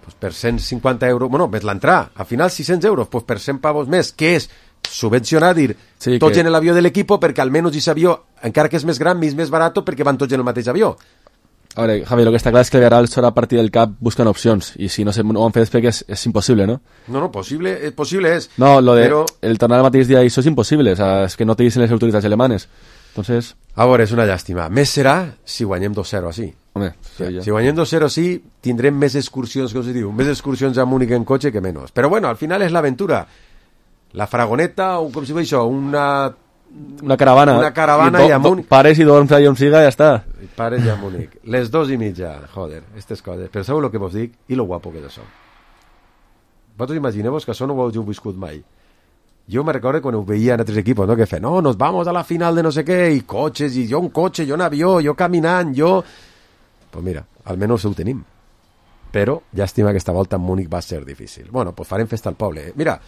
B: pues per cent cinquanta euros, bueno, més l'entrada, al final sis-cents euros, pues per cent pavos més, que és subvencionar, dir, sí, tots que... en l'avió de l'equip perquè almenys aquest avió, encara que és més gran, és més barat perquè van tots en el mateix avió.
D: A veure, Javi, lo que està clar és que el Villarreal serà a partir del cap busquen opcions, i si no, se, no ho han fet és perquè és, és impossible, no?
B: No, no, possible, és possible és.
D: No, lo de
B: però...
D: el tornar el mateix dia, això és impossible, o sea, és que no te dicen les autoritats alemanes. Entonces...
B: A veure, és una llàstima. Més serà si guanyem dos zero així.
D: Home, sí, ja.
B: Si guanyem dos zero així, tindrem més excursions, que us diu, més excursions a Múnich en cotxe que menys. Però bueno, al final és l'aventura. La fragoneta, o com si diu això, una...
D: Una caravana.
B: Una caravana i,
D: i
B: a Múnich.
D: Pares i dorms allà on siga i ja està.
B: Pares i a Múnich. Les dos i mitja, joder, aquestes coses. Però sabeu el que vos dic? I lo guapo que és això. Vosaltres imagineu-vos que això no ho heu viscut mai. Jo me recordo quan ho veia en altres equipos, no? Que feien, no, nos vamos a la final de no sé què, i cotxes, i jo un cotxe, jo un avió, jo caminant, jo... Pues mira, almenys ho tenim. Però, llàstima que aquesta volta en Múnich va ser difícil. Bueno, pues farem festa al poble. Mira,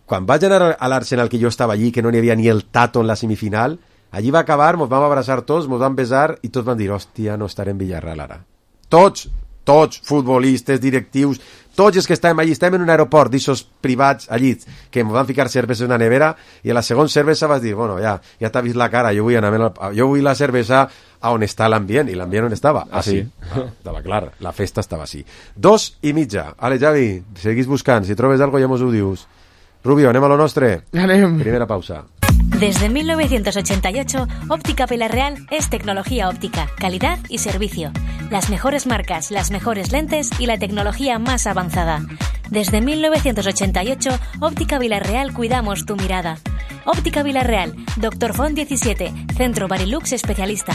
B: quan vaig anar a l'Arsenal, que jo estava allí, que no n'hi havia ni el tato en la semifinal, allí va acabar, mos vam abraçar tots, mos vam besar, i tots van dir, hòstia, no estarem en Villarreal ara. Tots, tots, futbolistes, directius, tots els que estàvem allí, estàvem en un aeroport d'ixos privats allí, que em van ficar cervesa en una nevera, i a la segona cervesa vas dir, bueno, ja, ja t'ha vist la cara, jo vull, anar a, jo vull la cervesa a on està l'ambient, i l'ambient on estava?
D: Ah, sí.
B: Ah, estava clar, la festa estava així. Dos i mitja. Ale, Javi, seguís buscant, si trobes algo ja mos ho dius. Rubio, anem a lo nostre?
C: Anem.
B: Primera pausa.
E: Desde mil novecientos ochenta y ocho, Óptica Villarreal es tecnología óptica, calidad y servicio. Las mejores marcas, las mejores lentes y la tecnología más avanzada. Desde mil novecientos ochenta y ocho, Óptica Villarreal cuidamos tu mirada. Óptica Villarreal, Doctor Font diecisiete, Centro Barilux especialista.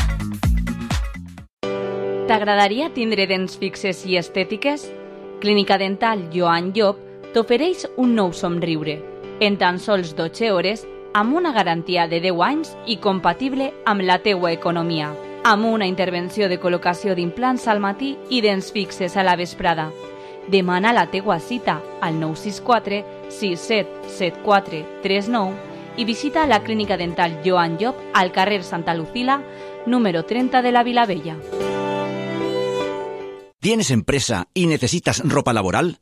F: T'agradaria tindre dents fixes i estètiques? Clínica Dental Joan Llop t'ofereix un nou somriure. En tan sols dotze hores, amb una garantia de deu anys i compatible amb la teua economia. Amb una intervenció de col·locació d'implants al matí i dents fixes a la vesprada. Demana la teua cita al nou sis quatre sis set set quatre tres nou i visita la Clínica Dental Joan Llop al carrer Santa Lucila, número treinta de la Vilavella.
G: ¿Tienes empresa y necesitas ropa laboral?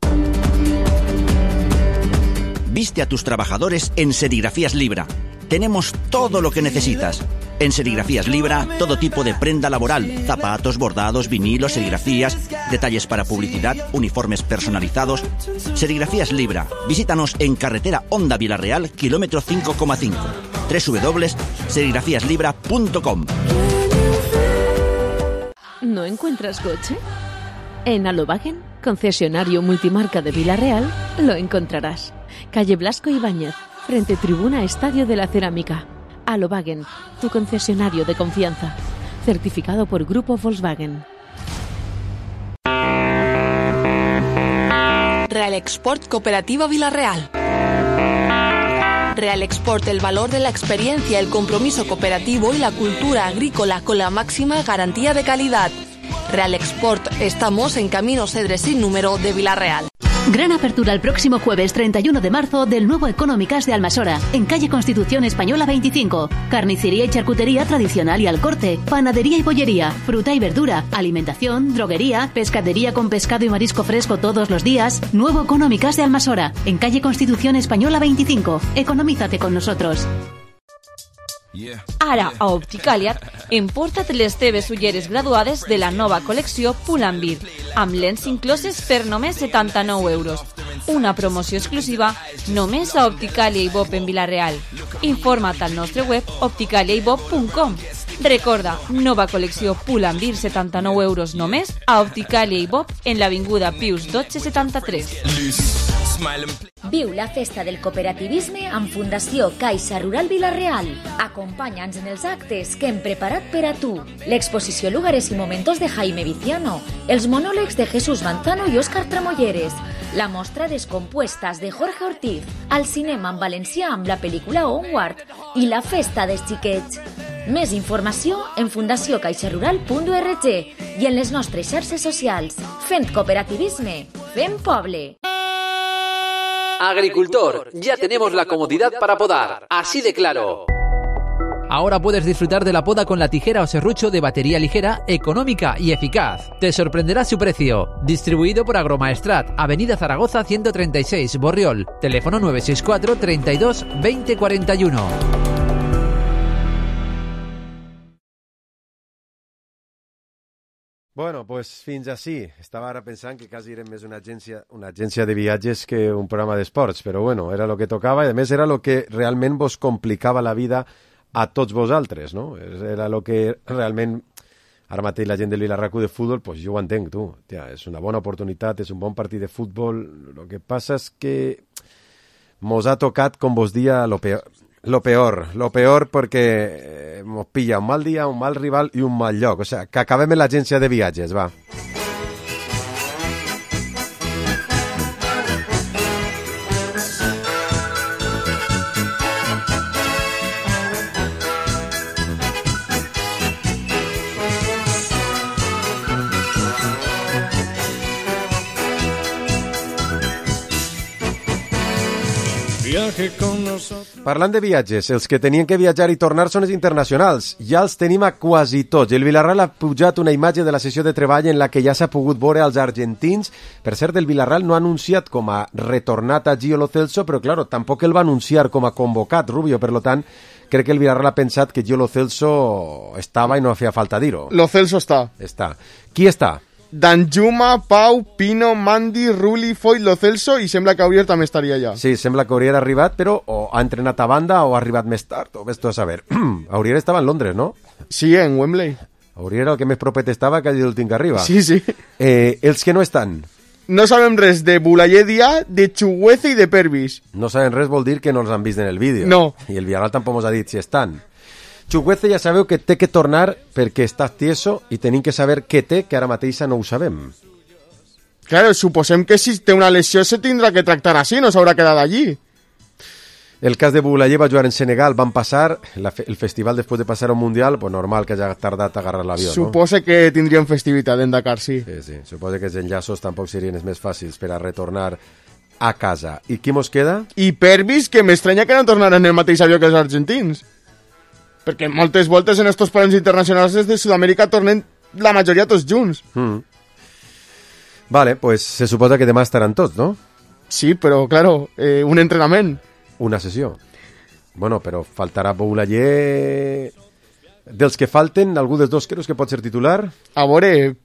G: Viste a tus trabajadores en Serigrafías Libra. Tenemos todo lo que necesitas. En Serigrafías Libra, todo tipo de prenda laboral, zapatos, bordados, vinilos, serigrafías, detalles para publicidad, uniformes personalizados. Serigrafías Libra. Visítanos en carretera Honda Villarreal, kilómetro cinco coma cinco. doble u doble u doble u punto serigrafías libra punto com.
H: ¿No encuentras coche? En Alobagen, concesionario multimarca de Villarreal, lo encontrarás. Calle Blasco Ibáñez, frente Tribuna Estadio de la Cerámica. Alobagen, tu concesionario de confianza. Certificado por Grupo Volkswagen.
I: Real Export Cooperativa Villarreal. Real Export, el valor de la experiencia, el compromiso cooperativo y la cultura agrícola con la máxima garantía de calidad. Real Export, estamos en Camino Cedre sin número de Villarreal.
J: Gran apertura el próximo jueves treinta y uno de marzo del nuevo Económicas de Almasora, en calle Constitución Española veinticinco. Carnicería y charcutería tradicional y al corte, panadería y bollería, fruta y verdura, alimentación, droguería, pescadería con pescado y marisco fresco todos los días. Nuevo Económicas de Almasora, en calle Constitución Española veinticinco. Economízate con nosotros.
F: Ara, a Opticaliat, emporta't les teves ulleres graduades de la nova col·lecció Pull&Bear, amb lents incloses per només setanta-nou euros. Una promoció exclusiva només a Opticalia i Bob en Vila-real. Informa't al nostre web opticalia i bob punt com. Recorda, nova col·lecció Pull&Bear, setanta-nou euros només a Opticalia i Bob en l'avinguda Pius dotze setanta-tres.
E: Viu la festa del cooperativisme amb Fundació Caixa Rural Vila-real. Acompanya'ns en els actes que hem preparat per a tu. L'exposició Lugares y Momentos de Jaime Viciano, els monòlegs de Jesús Manzano i Óscar Tramolleres, la mostra Descompuestas de Jorge Ortiz, al cinema en valencià amb la pel·lícula Onward i la festa dels xiquets. Més informació en fundació caixarural punt org i en les nostres xarxes socials. Fent cooperativisme, fent poble.
K: Agricultor, ya tenemos la comodidad para podar, así de claro. Ahora puedes disfrutar de la poda con la tijera o serrucho de batería ligera, económica y eficaz. Te sorprenderá su precio. Distribuido por Agromaestrat, Avenida Zaragoza ciento treinta y seis, Borriol. Teléfono nueve seis cuatro, treinta y dos, veinte cuarenta y uno.
B: Bueno, pues fins així. Estava ara pensant que quasi era més una agència, una agència de viatges que un programa d'esports, però bueno, era el que tocava i a més era el que realment vos complicava la vida a tots vosaltres, no? Era el que realment, ara mateix la gent del Vilarracu de futbol, pues jo ho entenc, tu. Tia, és una bona oportunitat, és un bon partit de futbol. El que passa és que mos ha tocat, com vos dia, lo peor. Lo peor, lo peor perquè mos pilla un mal dia, un mal rival i un mal lloc. O sea, que acabem en l'agència de viatges, va. Parlant de viatges, els que tenien que viatjar i tornar són els internacionals. Ja els tenim a quasi tots. El Villarreal ha pujat una imatge de la sessió de treball en la que ja s'ha pogut veure als argentins. Per cert, el Villarreal no ha anunciat com a retornat a Gio Lo Celso, però, claro, tampoc el va anunciar com a convocat, Rubio. Per lo tant, crec que el Villarreal ha pensat que Gio Lo Celso estava i no feia falta dir-ho.
C: Lo Celso està.
B: Està. Qui està?
C: Danjuma, Pau, Pino, Mandi, Ruli, Foyt, Lo Celso i sembla que Aurier també estaria allà.
B: Sí, sembla que Aurier ha arribat, però o ha entrenat a banda o ha arribat més tard, o ves-t'ho a saber. Aurier estava en Londres, no?
C: Sí, en Wembley.
B: Aurier el que més propet estava que l'últim que arriba.
C: Sí, sí.
B: Eh, els que no estan?
C: No sabem res de Boulaye Dia, de Chuguece i de Pervis.
B: No sabem res vol dir que no els han vist en el vídeo.
C: No.
B: I el Villarreal tampoc ens ha dit si estan. Chuguece ja sabeu que té que tornar perquè està tieso i tenim que saber què té, que ara mateixa no ho sabem.
C: Claro, suposem que si té una lesió se tindrà que tractar així, no s'haurà quedat allí.
B: El cas de Boulaye va jugar en Senegal, van passar la fe el festival després de passar un Mundial, pues normal que hagi tardat a agarrar l'avió, no?
C: Supose que tindrien festivitat en Dakar, sí.
B: Sí, sí, supose que els enllaços tampoc serien els més fàcils per a retornar a casa. I qui mos queda?
C: I Pervis, que m'estranya que no tornaran en el mateix avió que els argentins. Perquè moltes voltes en estos parons internacionals des de Sud-amèrica tornen la majoria tots junts.
B: Mm. Vale, pues se suposa que demà estaran tots, no?
C: Sí, però, claro, eh, un entrenament.
B: Una sessió. Bueno, però faltarà Boulaye... Dels que falten, algú dels dos creus que pot ser titular?
C: A veure,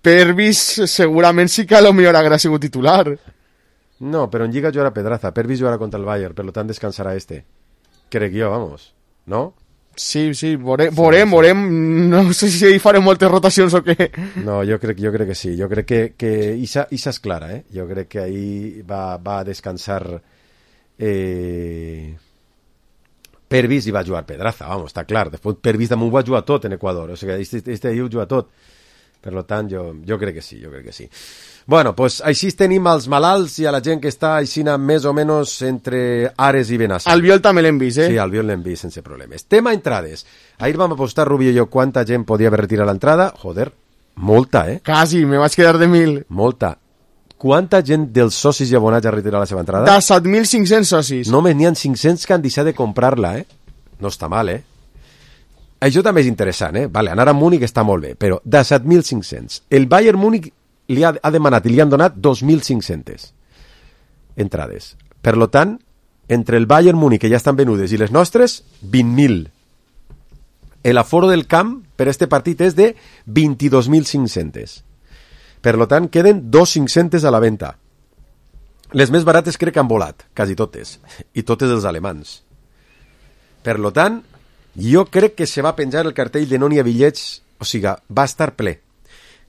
C: Pervis segurament sí que a lo millor haurà sigut titular.
B: No, però en Lliga jugarà Pedraza. Pervis jugarà contra el Bayern, per lo tant descansarà este. Crec jo, vamos. No?
C: Sí, sí, veurem, veurem, veurem. No sé si hi farem moltes rotacions o què.
B: No, jo crec, jo crec que sí. Jo crec que, que Isa, Isa és clara, eh? Jo crec que ahí va, va descansar eh... Pervis i va jugar Pedraza, vamos, està clar. Després Pervis damunt va jugar tot en Equador. O sigui, este, este ahí ho juga tot. Per lo tant, jo, jo crec que sí, jo crec que sí. Bueno, pues així tenim als malalts i a la gent que està aixina més o menys entre Ares i Benassar.
C: Albiol també l'hem vist, eh?
B: Sí, Albiol l'hem vist sense problemes. Tema entrades. Ahir vam apostar, Rubio i jo, quanta gent podia haver retirat l'entrada. Joder, molta, eh?
C: Quasi, me vaig quedar de mil.
B: Molta. quanta gent dels socis i abonats ha retirat la seva entrada?
C: De set mil cinc-cents socis.
B: Només n'hi ha cinc-cents que han deixat de comprar-la, eh? No està mal, eh? Això també és interessant, eh? Vale, anar a Múnich està molt bé, però de set mil cinc-cents. El Bayern Múnich li ha, ha demanat i li han donat dos mil cinc-cents entrades. Per lo tant, entre el Bayern Múnich, que ja estan venudes, i les nostres, vint mil. L'aforo del camp per este partit és de vint-i-dos mil cinc-cents. Per lo tant, queden dos mil cinc-cents a la venda. Les més barates crec que han volat, quasi totes, i totes els alemans. Per lo tant, jo crec que se va penjar el cartell de no n'hi ha bitllets, o sigui, va estar ple.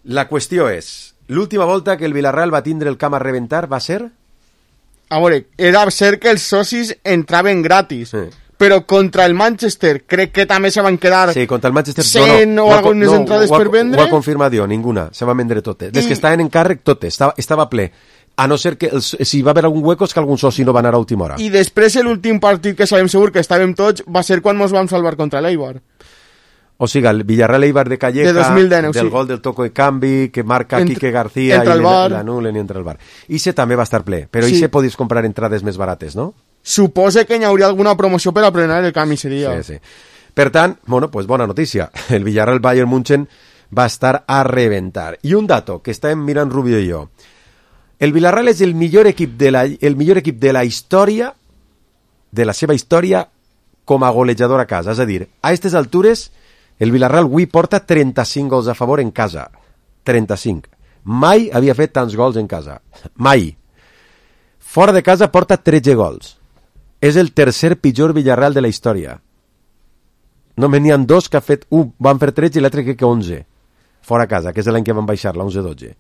B: La qüestió és, l'última volta que el Villarreal va tindre el camp a rebentar va ser?
C: A veure, era cert que els socis entraven gratis, sí. Però contra el Manchester crec que també se van quedar
B: sí, contra el Manchester,
C: cent
B: no, no,
C: o algunes
B: no,
C: entrades
B: ho ha,
C: per vendre.
B: Ho ha confirmat jo, ninguna, se van vendre totes. Les I... que estaven en càrrec, totes, estava, estava ple. A no ser que els, si va haver algun hueco és que algun soci no va anar a última hora.
C: I després l'últim partit que sabem segur que estàvem tots va ser quan ens vam salvar contra l'Eibar.
B: O sigui, el Villarreal-Eibar de Calleja,
C: de dos mil dinou,
B: del
C: sí.
B: Gol del toco de canvi, que marca
C: Entre,
B: Quique García i l'anulen i entra al bar. Ixe també va estar ple, però sí. Ixe podies comprar entrades més barates, no?
C: Suposa que hi hauria alguna promoció per a prenar el canvi, seria.
B: Sí, sí. Per tant, bueno, pues bona notícia. El Villarreal Bayern München va estar a reventar. I un dato que estàvem mirant Rubio i jo. El Villarreal és el millor equip de la, el millor equip de la història, de la seva història, com a golejador a casa. És a dir, a aquestes altures, el Villarreal avui porta trenta-cinc gols a favor en casa. trenta-cinc. Mai havia fet tants gols en casa. Mai. Fora de casa porta tretze gols. És el tercer pitjor Villarreal de la història. Només n'hi ha dos que ha fet un, van fer tretze i l'altre crec que onze. Fora casa, que és l'any que van baixar, la onze dotze.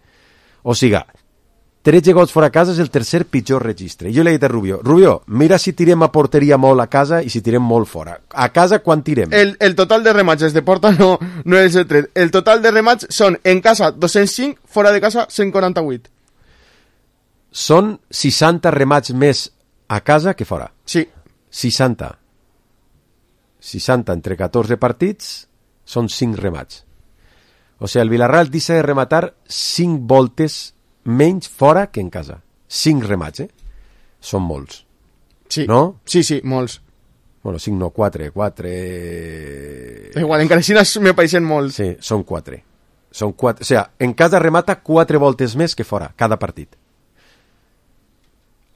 B: O sigui, tretze gols fora casa és el tercer pitjor registre. Jo li he dit a Rubio, Rubio, mira si tirem a porteria molt a casa i si tirem molt fora. A casa, quan tirem?
C: El, el total de remats de porta no, no és el tret. El total de remats són en casa dos-cents cinc, fora de casa cent quaranta-vuit.
B: Són seixanta remats més a casa que fora.
C: Sí.
B: seixanta. seixanta entre catorze partits són cinc remats. O sigui, el Villarreal deixa de rematar cinc voltes menys fora que en casa. cinc remats, eh? Són molts.
C: Sí.
B: No?
C: Sí, sí, molts.
B: Bueno, cinc no, quatre. quatre...
C: Igual, encara així me pareixen molts.
B: Sí, són quatre. Són quatre. O sigui, en casa remata quatre voltes més que fora, cada partit.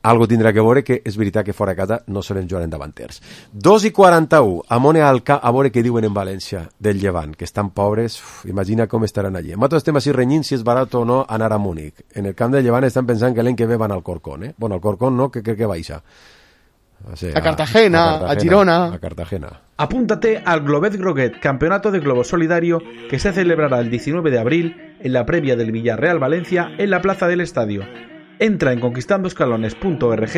B: Algo tindrà que veure que és veritat que fora a casa no solen jugar en davanters. dos i quaranta-u, Amone Alca, a veure què diuen en València del Llevant, que estan pobres, uf, imagina com estaran allí. Nosaltres estem així renyint si és barat o no anar a Múnich. En el camp del Llevant estan pensant que l'any que ve van al Corcón, eh? Bueno, al Corcón no, que crec que baixa.
C: O sea, a, Cartagena, a Cartagena, a Girona.
B: A Cartagena.
L: Apúntate al Globet Groguet, campeonato de globo solidario que se celebrará el diecinueve de abril en la previa del Villarreal Valencia en la plaza del estadio. Entra en conquistando escalones punto org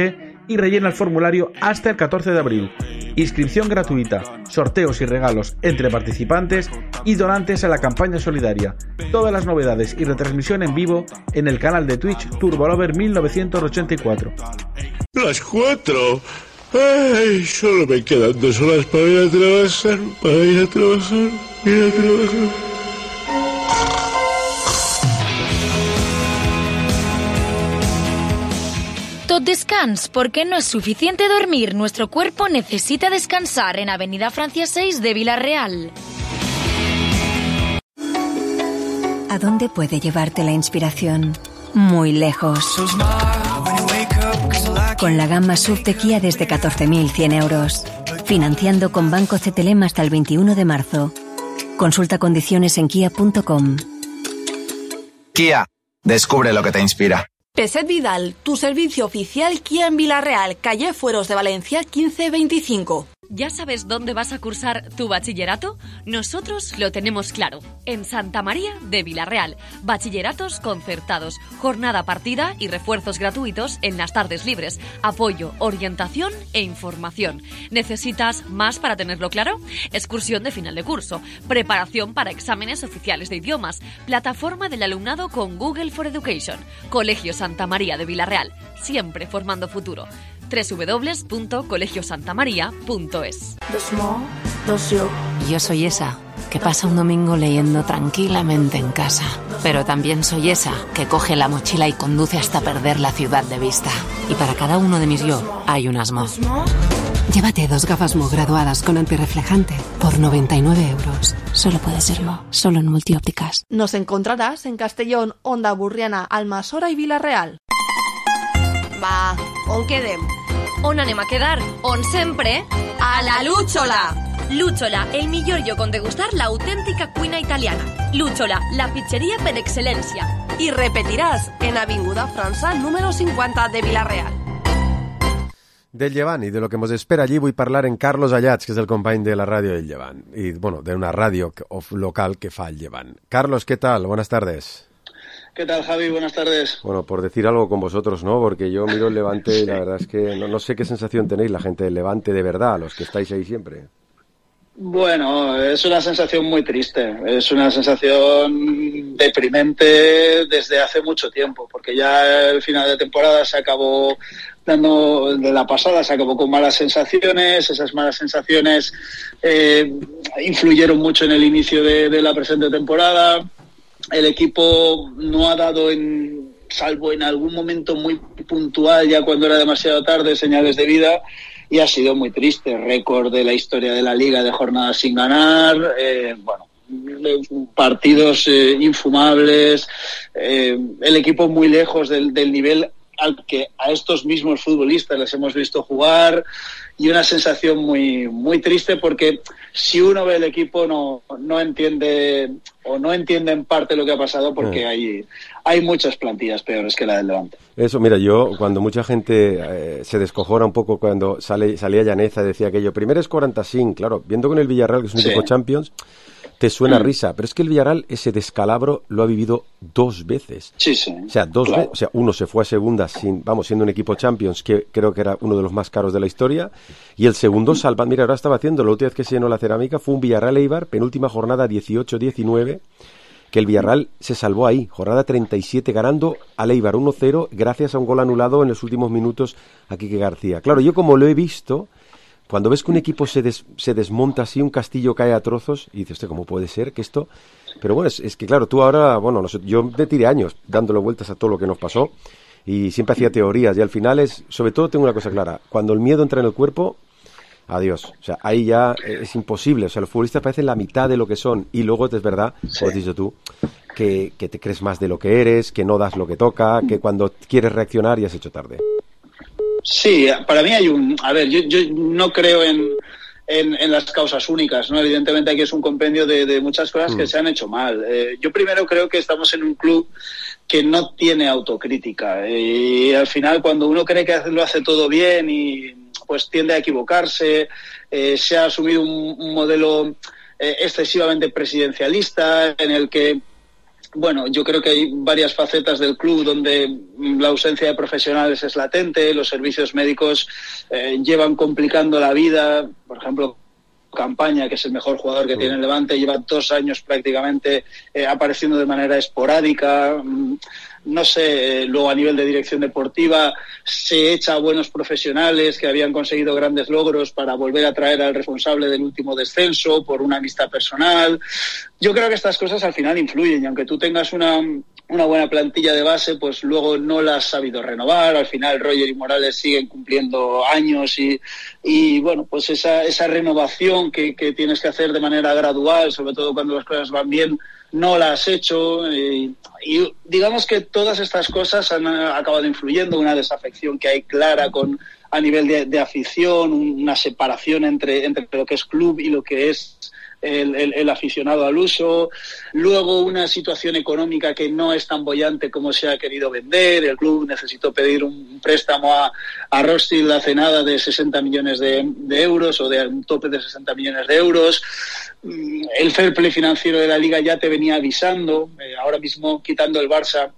L: y rellena el formulario hasta el catorce de abril. Inscripción gratuita, sorteos y regalos entre participantes y donantes a la campaña solidaria. Todas las novedades y retransmisión en vivo en el canal de Twitch Turbolover mil novecientos ochenta y cuatro.
M: Las cuatro. Ay, solo me quedan dos horas para ir a trabajar, para ir a trabajar, ir a trabajar.
E: Tot descans, porque no es suficiente dormir. Nuestro cuerpo necesita descansar en Avenida Francia seis de Villarreal.
N: ¿A dónde puede llevarte la inspiración? Muy lejos. Con la gama S U V de Kia desde catorce mil cien euros. Financiando con Banco C T L M hasta el veintiuno de marzo. Consulta condiciones en kia punto com.
O: Kia, descubre lo que te inspira.
I: Peset Vidal, tu servicio oficial Kia en Villarreal, calle Fueros de Valencia quince veinticinco.
P: ¿Ya sabes dónde vas a cursar tu bachillerato? Nosotros lo tenemos claro. En Santa María de Villarreal. Bachilleratos concertados, jornada partida y refuerzos gratuitos en las tardes libres. Apoyo, orientación e información. ¿Necesitas más para tenerlo claro? Excursión de final de curso. Preparación para exámenes oficiales de idiomas. Plataforma del alumnado con Google for Education. Colegio Santa María de Villarreal. Siempre formando futuro. doble u doble u doble u punto colegio santa maría punto es.
N: Yo soy esa,
Q: que pasa un domingo leyendo tranquilamente en casa. Pero también soy esa que coge la mochila y conduce hasta perder la ciudad de vista. Y para cada uno de mis yo hay un Asmo. Llévate dos gafas Mo graduadas con antirreflejante por noventa y nueve euros. Solo puede ser Mo, solo en Multiópticas.
R: Nos encontrarás en Castellón, Onda Burriana, Almasora i Vila-real.
P: Va, on quedem? On anem a quedar? On sempre? A la Lúchola! Lúchola, el millor lloc on degustar l'autèntica cuina italiana. Lúchola, la pizzeria per excel·lència.
R: I repetiràs en Avinguda França, número cincuenta de Vila-real.
B: Del Llevant y de lo que nos espera allí voy a hablar en Carlos Ayats, que es el compañero de la radio del Llevant. Y, bueno, de una radio local que fa el Llevant. Carlos, ¿qué tal? Buenas tardes.
S: ¿Qué tal, Javi? Buenas tardes.
B: Bueno, por decir algo con vosotros, ¿no? Porque yo miro el Levante y la verdad es que no, no sé qué sensación tenéis la gente del Levante de verdad, los que estáis ahí siempre.
S: Bueno, es una sensación muy triste, es una sensación deprimente desde hace mucho tiempo, porque ya el final de temporada se acabó dando, de la pasada se acabó con malas sensaciones, esas malas sensaciones eh, influyeron mucho en el inicio de, de la presente temporada, el equipo no ha dado, en, salvo en algún momento muy puntual, ya cuando era demasiado tarde, señales de vida. Y ha sido muy triste, récord de la historia de la Liga de jornadas sin ganar, eh, bueno, partidos eh, infumables, eh, el equipo muy lejos del, del nivel al que a estos mismos futbolistas les hemos visto jugar, y una sensación muy muy triste porque si uno ve el equipo no, no entiende o no entiende en parte lo que ha pasado porque eh. hay, hay muchas plantillas peores que la del Levante.
B: Eso, mira, yo cuando mucha gente eh, se descojona un poco cuando sale salía Llaneza y decía aquello, primero es cuarenta y cinco, claro, viendo con el Villarreal que es un sí. equipo Champions, te suena mm. risa, pero es que el Villarreal ese descalabro lo ha vivido dos veces.
S: Sí, sí.
B: O sea, dos
S: claro.
B: veces, o sea, uno se fue a segunda sin, vamos, siendo un equipo Champions que creo que era uno de los más caros de la historia, y el segundo salva, mira, ahora estaba haciendo, la última vez que se llenó la cerámica fue un Villarreal Eibar, penúltima jornada dieciocho diecinueve, que el Villarreal se salvó ahí, jornada treinta y siete, ganando al Eibar uno cero gracias a un gol anulado en los últimos minutos a Quique García. Claro, yo como lo he visto, cuando ves que un equipo se, des, se desmonta así, un castillo cae a trozos, y dices, ¿cómo puede ser que esto...? Pero bueno, es, es que claro, tú ahora, bueno, no sé, yo me tiré años dándole vueltas a todo lo que nos pasó, y siempre hacía teorías, y al final es, sobre todo tengo una cosa clara, cuando el miedo entra en el cuerpo, adiós, o sea, ahí ya es imposible, o sea, los futbolistas parecen la mitad de lo que son, y luego es verdad, sí. como has dicho tú, que, que te crees más de lo que eres, que no das lo que toca, que cuando quieres reaccionar ya has hecho tarde.
S: Sí, para mí hay un... A ver, yo, yo no creo en, en, en las causas únicas, ¿no? Evidentemente aquí es un compendio de, de muchas cosas mm. que se han hecho mal. Eh, yo primero creo que estamos en un club que no tiene autocrítica. Y al final cuando uno cree que lo hace todo bien y pues tiende a equivocarse, eh, se ha asumido un, un modelo eh, excesivamente presidencialista en el que... Bueno, yo creo que hay varias facetas del club donde la ausencia de profesionales es latente, los servicios médicos eh, llevan complicando la vida, por ejemplo, Campaña, que es el mejor jugador que tiene el Levante, lleva dos años prácticamente eh, apareciendo de manera esporádica. No sé, luego a nivel de dirección deportiva se echa a buenos profesionales que habían conseguido grandes logros para volver a traer al responsable del último descenso por una amistad personal. Yo creo que estas cosas al final influyen y aunque tú tengas una, una buena plantilla de base, pues luego no la has sabido renovar. Al final Roger y Morales siguen cumpliendo años y, y bueno, pues esa, esa renovación que, que tienes que hacer de manera gradual, sobre todo cuando las cosas van bien, no la has hecho y, y digamos que todas estas cosas han acabado influyendo, una desafección que hay clara con a nivel de, de afición, una separación entre, entre lo que es club y lo que es el, el, el aficionado al uso, luego una situación económica que no es tan boyante como se ha querido vender, el club necesitó pedir un préstamo a, a Rostil hace nada de sesenta millones de, de euros o de un tope de sesenta millones de euros. El fair play financiero de la Liga ya te venía avisando, eh, ahora mismo quitando el Barça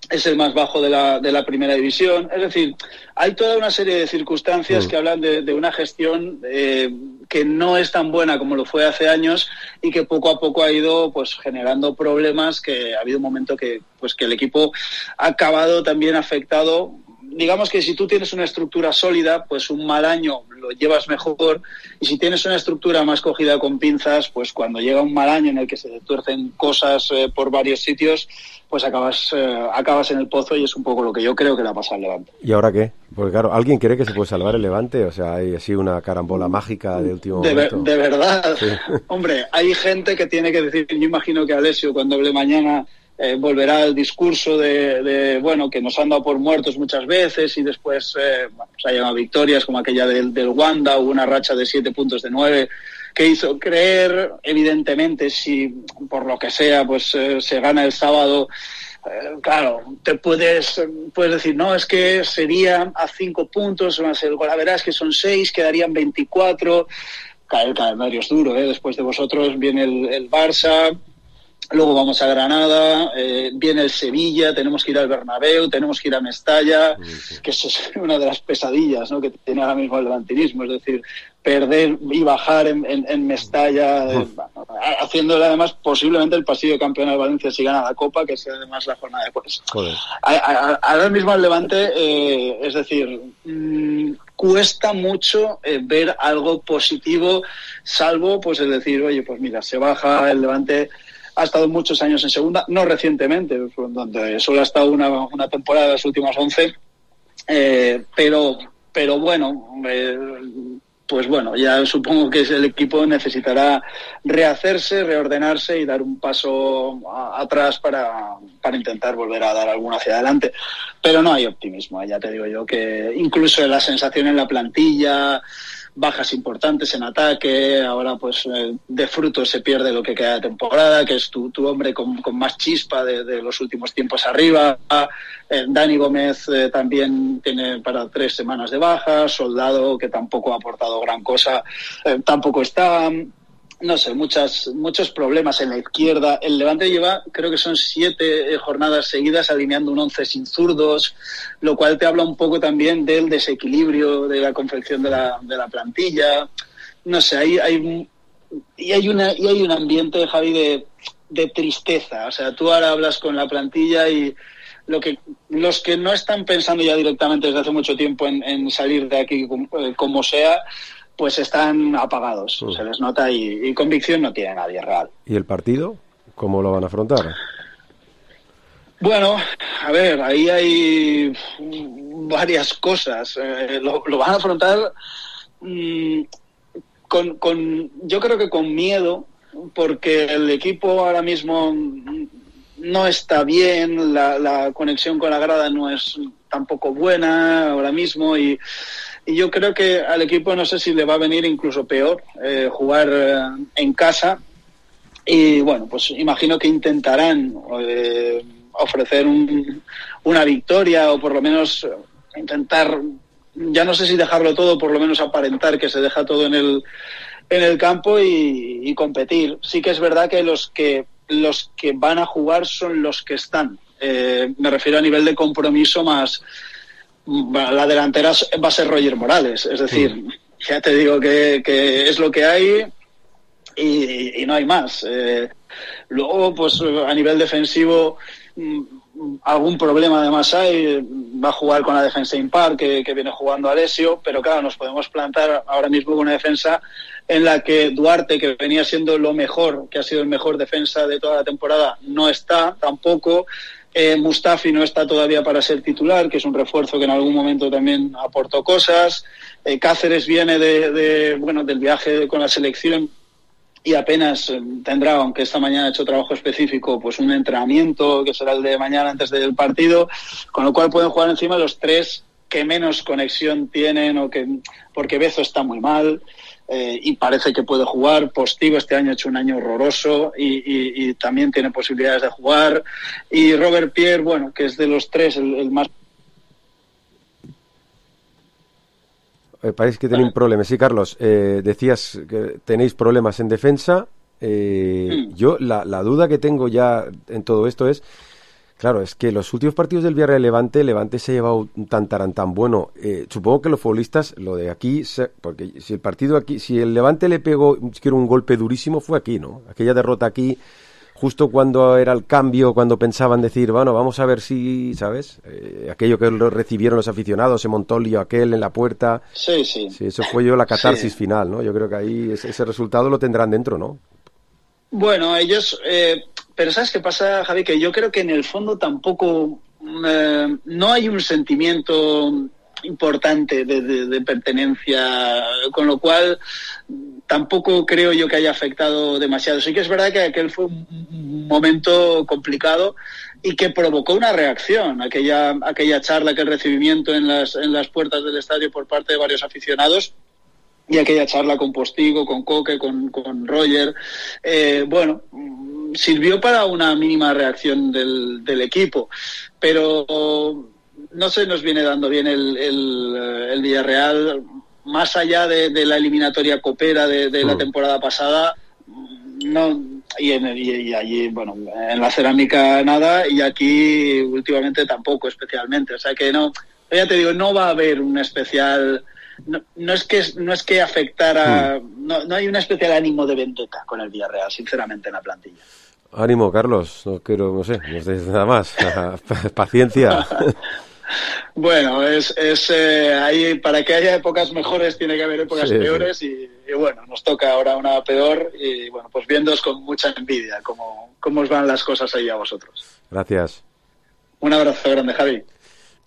S: es el más bajo de la, de la primera división. Es decir, hay toda una serie de circunstancias mm. que hablan de, de una gestión eh, que no es tan buena como lo fue hace años y que poco a poco ha ido pues generando problemas, que ha habido un momento que, pues, que el equipo ha acabado también afectado. Digamos que si tú tienes una estructura sólida, pues un mal año lo llevas mejor, y si tienes una estructura más cogida con pinzas, pues cuando llega un mal año en el que se tuercen cosas eh, por varios sitios, pues acabas eh, acabas en el pozo, y es un poco lo que yo creo que le ha pasado al Levante.
B: ¿Y ahora qué? Porque claro, ¿alguien cree que se puede salvar el Levante? O sea, hay así una carambola mágica de último
S: de
B: momento.
S: Ver, de verdad.
B: Sí.
S: Hombre, hay gente que tiene que decir, yo imagino que Alessio cuando hable mañana eh, volverá al discurso de, de, bueno, que nos han dado por muertos muchas veces, y después eh, bueno, se ha llamado victorias como aquella del, del Wanda, hubo una racha de siete puntos de nueve, que hizo creer, evidentemente, si por lo que sea, pues eh, se gana el sábado, eh, claro, te puedes puedes decir, no, es que sería a cinco puntos, más el Golaveras, que son seis, quedarían veinticuatro, el calendario es duro, ¿eh? Después de vosotros viene el, el Barça, luego vamos a Granada, eh, viene el Sevilla, tenemos que ir al Bernabéu, tenemos que ir a Mestalla, que eso es una de las pesadillas, ¿no?, que tiene ahora mismo el levantinismo, es decir, perder y bajar en, en, en Mestalla, eh, haciéndole además posiblemente el pasillo de campeón al Valencia si gana la Copa, que sea además la jornada de pues. Ahora mismo al Levante, eh, es decir, mmm, cuesta mucho eh, ver algo positivo, salvo pues el decir, oye, pues mira, se baja el Levante. Ha estado muchos años en segunda, no recientemente, donde solo ha estado una, una temporada de las últimas once, eh, pero, pero bueno, eh, pues bueno, ya supongo que el equipo necesitará rehacerse, reordenarse y dar un paso a, atrás para, para intentar volver a dar alguno hacia adelante. Pero no hay optimismo, ya te digo yo que incluso la sensación en la plantilla, bajas importantes en ataque, ahora pues eh, de fruto se pierde lo que queda de temporada, que es tu, tu hombre con, con más chispa de, de los últimos tiempos arriba. eh, Dani Gómez eh, también tiene para tres semanas de baja, Soldado, que tampoco ha aportado gran cosa, eh, tampoco está. No sé, muchas, muchos problemas en la izquierda. El Levante lleva, creo que son siete eh, jornadas seguidas alineando un once sin zurdos, lo cual te habla un poco también del desequilibrio de la confección de la, de la plantilla. No sé, hay, hay, y hay, una, y hay un ambiente, Javi, de, de tristeza. O sea, tú ahora hablas con la plantilla y lo que los que no están pensando ya directamente desde hace mucho tiempo en, en salir de aquí como, como sea, pues están apagados, uh. se les nota, y, y convicción no tiene nadie real.
B: ¿Y el partido? ¿Cómo lo van a afrontar?
S: Bueno, a ver, ahí hay varias cosas. Eh, lo, lo van a afrontar mmm, con, con, yo creo que con miedo, porque el equipo ahora mismo no está bien, la, la conexión con la grada no es tampoco buena ahora mismo, y Y yo creo que al equipo no sé si le va a venir incluso peor eh, jugar eh, en casa. Y bueno, pues imagino que intentarán eh, ofrecer un, una victoria, o por lo menos intentar, ya no sé si dejarlo todo, por lo menos aparentar que se deja todo en el en el campo y, y competir. Sí que es verdad que los que los que van a jugar son los que están. Eh, me refiero a nivel de compromiso más. La delantera va a ser Roger Morales, es decir, mm. ya te digo que, que es lo que hay y, y no hay más. Eh, luego, pues a nivel defensivo, algún problema además hay. Va a jugar con la defensa impar que, que viene jugando Alessio, pero claro, nos podemos plantar ahora mismo con una defensa en la que Duarte, que venía siendo lo mejor, que ha sido el mejor defensa de toda la temporada, no está tampoco. Eh, Mustafi no está todavía para ser titular, que es un refuerzo que en algún momento también aportó cosas. Eh, Cáceres viene de, de bueno del viaje con la selección y apenas eh, tendrá, aunque esta mañana ha hecho trabajo específico, pues un entrenamiento que será el de mañana antes del partido, con lo cual pueden jugar encima los tres que menos conexión tienen, o que porque Bezo está muy mal. Eh, y parece que puede jugar. Postigo este año ha hecho un año horroroso y, y, y también tiene posibilidades de jugar. Y Robert Pierre, bueno, que es de los tres el, el más...
B: Eh, parece que tenéis problemas. Sí, Carlos, eh, decías que tenéis problemas en defensa. Eh, mm. Yo la, la duda que tengo ya en todo esto es, claro, es que los últimos partidos del Villarreal Levante, Levante se ha llevado un tantarán tan bueno. Eh, supongo que los futbolistas, lo de aquí, se, porque si el partido aquí, si el Levante le pegó, quiero un golpe durísimo, fue aquí, ¿no? Aquella derrota aquí, justo cuando era el cambio, cuando pensaban decir, bueno, vamos a ver si, ¿sabes? Eh, aquello que lo recibieron los aficionados, se montó el lío aquel en la puerta.
S: Sí, sí.
B: Sí, eso fue yo la catarsis
S: sí.
B: final, ¿no? Yo creo que ahí ese, ese resultado lo tendrán dentro, ¿no?
S: Bueno, ellos... Eh, pero ¿sabes qué pasa, Javi? Que yo creo que en el fondo tampoco... Eh, no hay un sentimiento importante de, de, de pertenencia, con lo cual tampoco creo yo que haya afectado demasiado. Sí que es verdad que aquel fue un momento complicado y que provocó una reacción, aquella aquella charla, aquel recibimiento en las en las puertas del estadio por parte de varios aficionados y aquella charla con Postigo, con Coque, con, con Roger, eh, bueno, sirvió para una mínima reacción del, del equipo, pero no se nos viene dando bien el, el, el Villarreal, más allá de, de la eliminatoria copera de, de la temporada pasada, no, y, en, y, y allí, bueno, en la cerámica nada, y aquí últimamente tampoco especialmente, o sea que no, ya te digo, no va a haber un especial, no, no es que no es que afectara, mm. no, no hay un especial ánimo de vendetta con el Villarreal, sinceramente, en la plantilla.
B: Ánimo, Carlos, no quiero, no sé, no sé nada más, paciencia.
S: Bueno, es, es eh, ahí, para que haya épocas mejores tiene que haber épocas sí, peores sí. Y, y bueno, nos toca ahora una peor y bueno, pues viéndoos con mucha envidia cómo, cómo os van las cosas ahí a vosotros.
B: Gracias.
S: Un abrazo grande, Javi.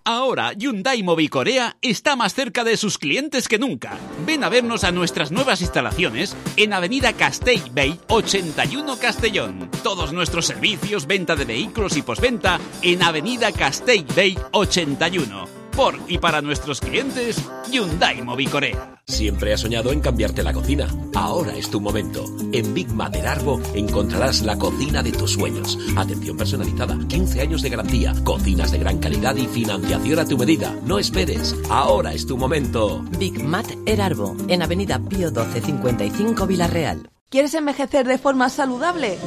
T: Ahora Hyundai Mobicorea está más cerca de sus clientes que nunca. Ven a vernos a nuestras nuevas instalaciones en Avenida Castellbell ochenta y uno Castellón. Todos nuestros servicios, venta de vehículos y postventa en Avenida Castellbell ochenta y uno. Por y para nuestros clientes, Hyundai Mobicorea.
U: Siempre has soñado en cambiarte la cocina. Ahora es tu momento. En Big Matter Arbo encontrarás la cocina de tus sueños. Atención personalizada, quince años de garantía, cocinas de gran calidad y financiación a tu medida. No esperes. Ahora es tu momento.
V: Big Matter Arbo, en Avenida Pío doce cincuenta y cinco Villarreal.
R: ¿Quieres envejecer de forma saludable?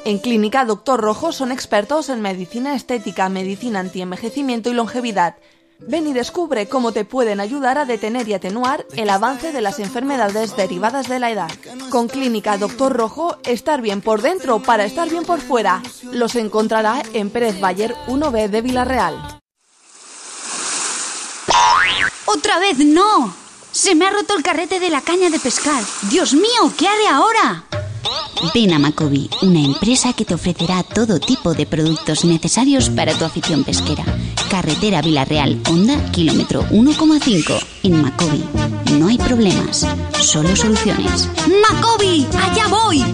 R: En Clínica Doctor Rojo son expertos en medicina estética, medicina antienvejecimiento y longevidad. Ven y descubre cómo te pueden ayudar a detener y atenuar el avance de las enfermedades derivadas de la edad. Con Clínica Doctor Rojo, estar bien por dentro para estar bien por fuera. Los encontrará en Pérez Bayer uno B de Villarreal.
W: ¡Otra vez no! Se me ha roto el carrete de la caña de pescar. ¡Dios mío! ¿Qué haré ahora? Ven a Macobi, una empresa que te ofrecerá todo tipo de productos necesarios para tu afición pesquera. Carretera Villarreal, Honda, kilómetro uno coma cinco. En Macobi no hay problemas, solo soluciones. ¡Macobi! ¡Allá voy!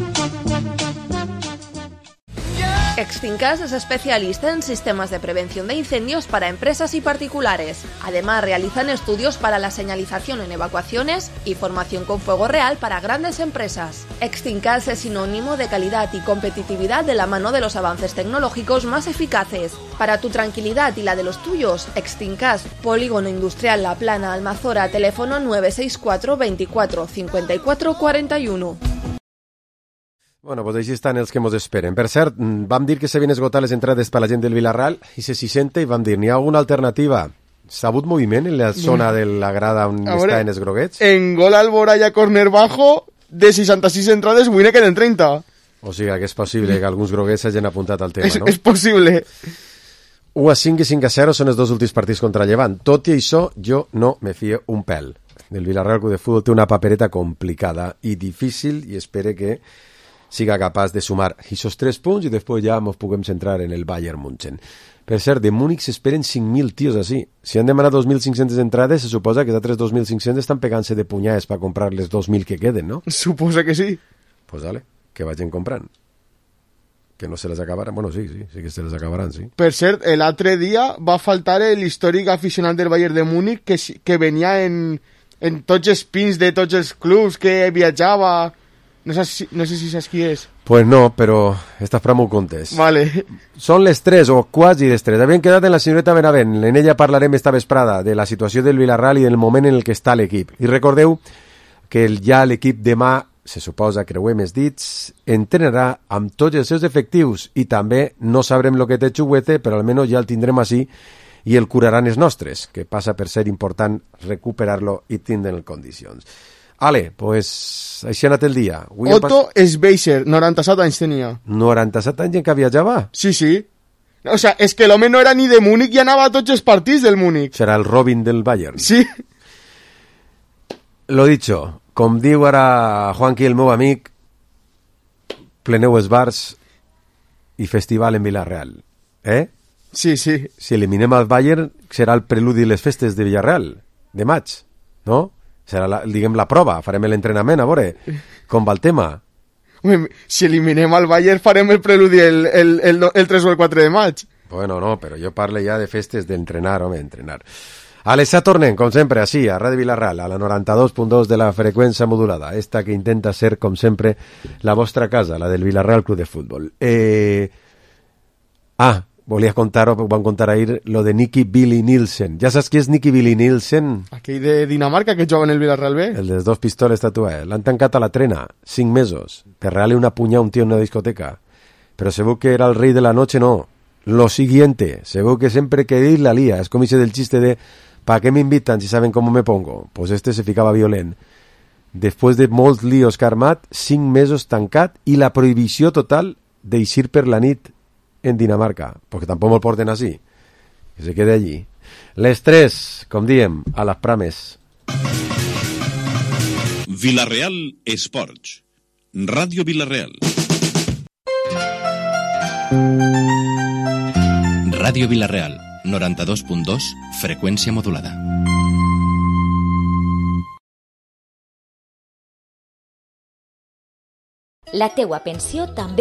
R: Extincas es especialista en sistemas de prevención de incendios para empresas y particulares. Además, realizan estudios para la señalización en evacuaciones y formación con fuego real para grandes empresas. Extincas es sinónimo de calidad y competitividad de la mano de los avances tecnológicos más eficaces. Para tu tranquilidad y la de los tuyos, Extincas, Polígono Industrial La Plana, Almazora, teléfono nueve seis cuatro veinticuatro cincuenta y cuatro cuarenta y uno.
B: Bueno, pues així estan els que mos esperen. Per cert, vam dir que s'havien esgotat les entrades per la gent del Villarreal i se s'hi senta i vam dir, n'hi ha alguna alternativa? S'ha hagut moviment en la zona de la grada on
C: veure,
B: estan els groguets?
C: En gol Alboraya, corner bajo, de seixanta-sis entrades, avui ne queden trenta.
B: O sigui que és possible que alguns groguets s'hagin apuntat al tema,
C: és,
B: no?
C: És possible.
B: u a cinc i cinc a zero són els dos últims partits contra Llevant. Tot i això, jo no me fio un pèl. El Villarreal Club de Futbol té una papereta complicada i difícil i espere que siga capaç de sumar esos tres punts i després ja ens puguem centrar en el Bayern München. Per cert, de Múnich s'esperen cinc mil tios així. Si han demanat dos mil cinc-centes entrades, se suposa que els altres dos mil cinc-cents estan pegant-se de punyades per comprar les dos mil que queden, no?
C: Suposa que sí.
B: Pues dale, que vagin comprant. Que no se les acabaran. Bueno, sí, sí, sí que se les acabaran, sí.
C: Per cert, l'altre dia va faltar l'històric aficionat del Bayern de Múnich que, que venia en, en tots els pins de tots els clubs que viatjava... No sé, si, no sé si saps qui és.
B: Pues no, però estàs per molt contes.
C: Vale.
B: Són les tres, o quasi les tres. Havien quedat en la senyoreta Benavent. En ella parlarem esta vesprada de la situació del Villarreal i del moment en el que està l'equip. I recordeu que ja l'equip demà, se suposa, creuem els dits, entrenarà amb tots els seus efectius i també no sabrem el que té Xuguete, però almenys ja el tindrem així i el curaran els nostres, que passa per ser important recuperar-lo i tindre'l en condicions. Ale, pues així ha anat el dia. Avui
C: Otto Schweizer, noranta-set anys tenia.
B: noranta-set anys en què viatjava?
C: Sí, sí. O sea, és que l'home no era ni de Múnich i anava a tots els partits del Múnich.
B: Serà el Robin del Bayern.
C: Sí.
B: Lo dicho, com diu ara Juanqui, el meu amic, pleneu els bars i festival en Villarreal. Eh?
C: Sí, sí.
B: Si eliminem el Bayern, serà el preludi de les festes de Villarreal, de maig, no? Serà, la, diguem, la prova, farem l'entrenament, a veure com va el tema.
C: Home, si eliminem el Bayern farem el preludi el, el, el, el tres o el quatre de maig.
B: Bueno, no, però jo parlo ja de festes d'entrenar, home, entrenar. Alexa, tornem, com sempre, així, a Ràdio Vilarreal, a la noranta-dos punt dos de la freqüència modulada, esta que intenta ser, com sempre, la vostra casa, la del Villarreal Club de Fútbol. Eh... Ah, volia contar, ho van contar ahir, lo de Nicky Billy Nielsen. Ja saps qui és Nicky Billy Nielsen?
C: Aquell de Dinamarca que juga en el Villarreal B.
B: El de les dos pistoles tatuades. L'han tancat a la trena, cinc mesos, per regalar una punyada a un tío en una discoteca. Però se veu que era el rei de la noche, no. Lo siguiente, se veu que sempre que dir la lía. És com ese del chiste de ¿para qué me invitan si saben cómo me pongo? Pues este se ficava violent. Després de molts líos que ha armat, cinc mesos tancat i la prohibició total d'eixir per la nit en Dinamarca, perquè tampoc me'l porten així, que se quede allí. Les tres, com diem, a les prames.
A: Villarreal Esports, Ràdio Villarreal. Ràdio Villarreal, noranta-dos punt dos, freqüència modulada.
D: La teua pensió també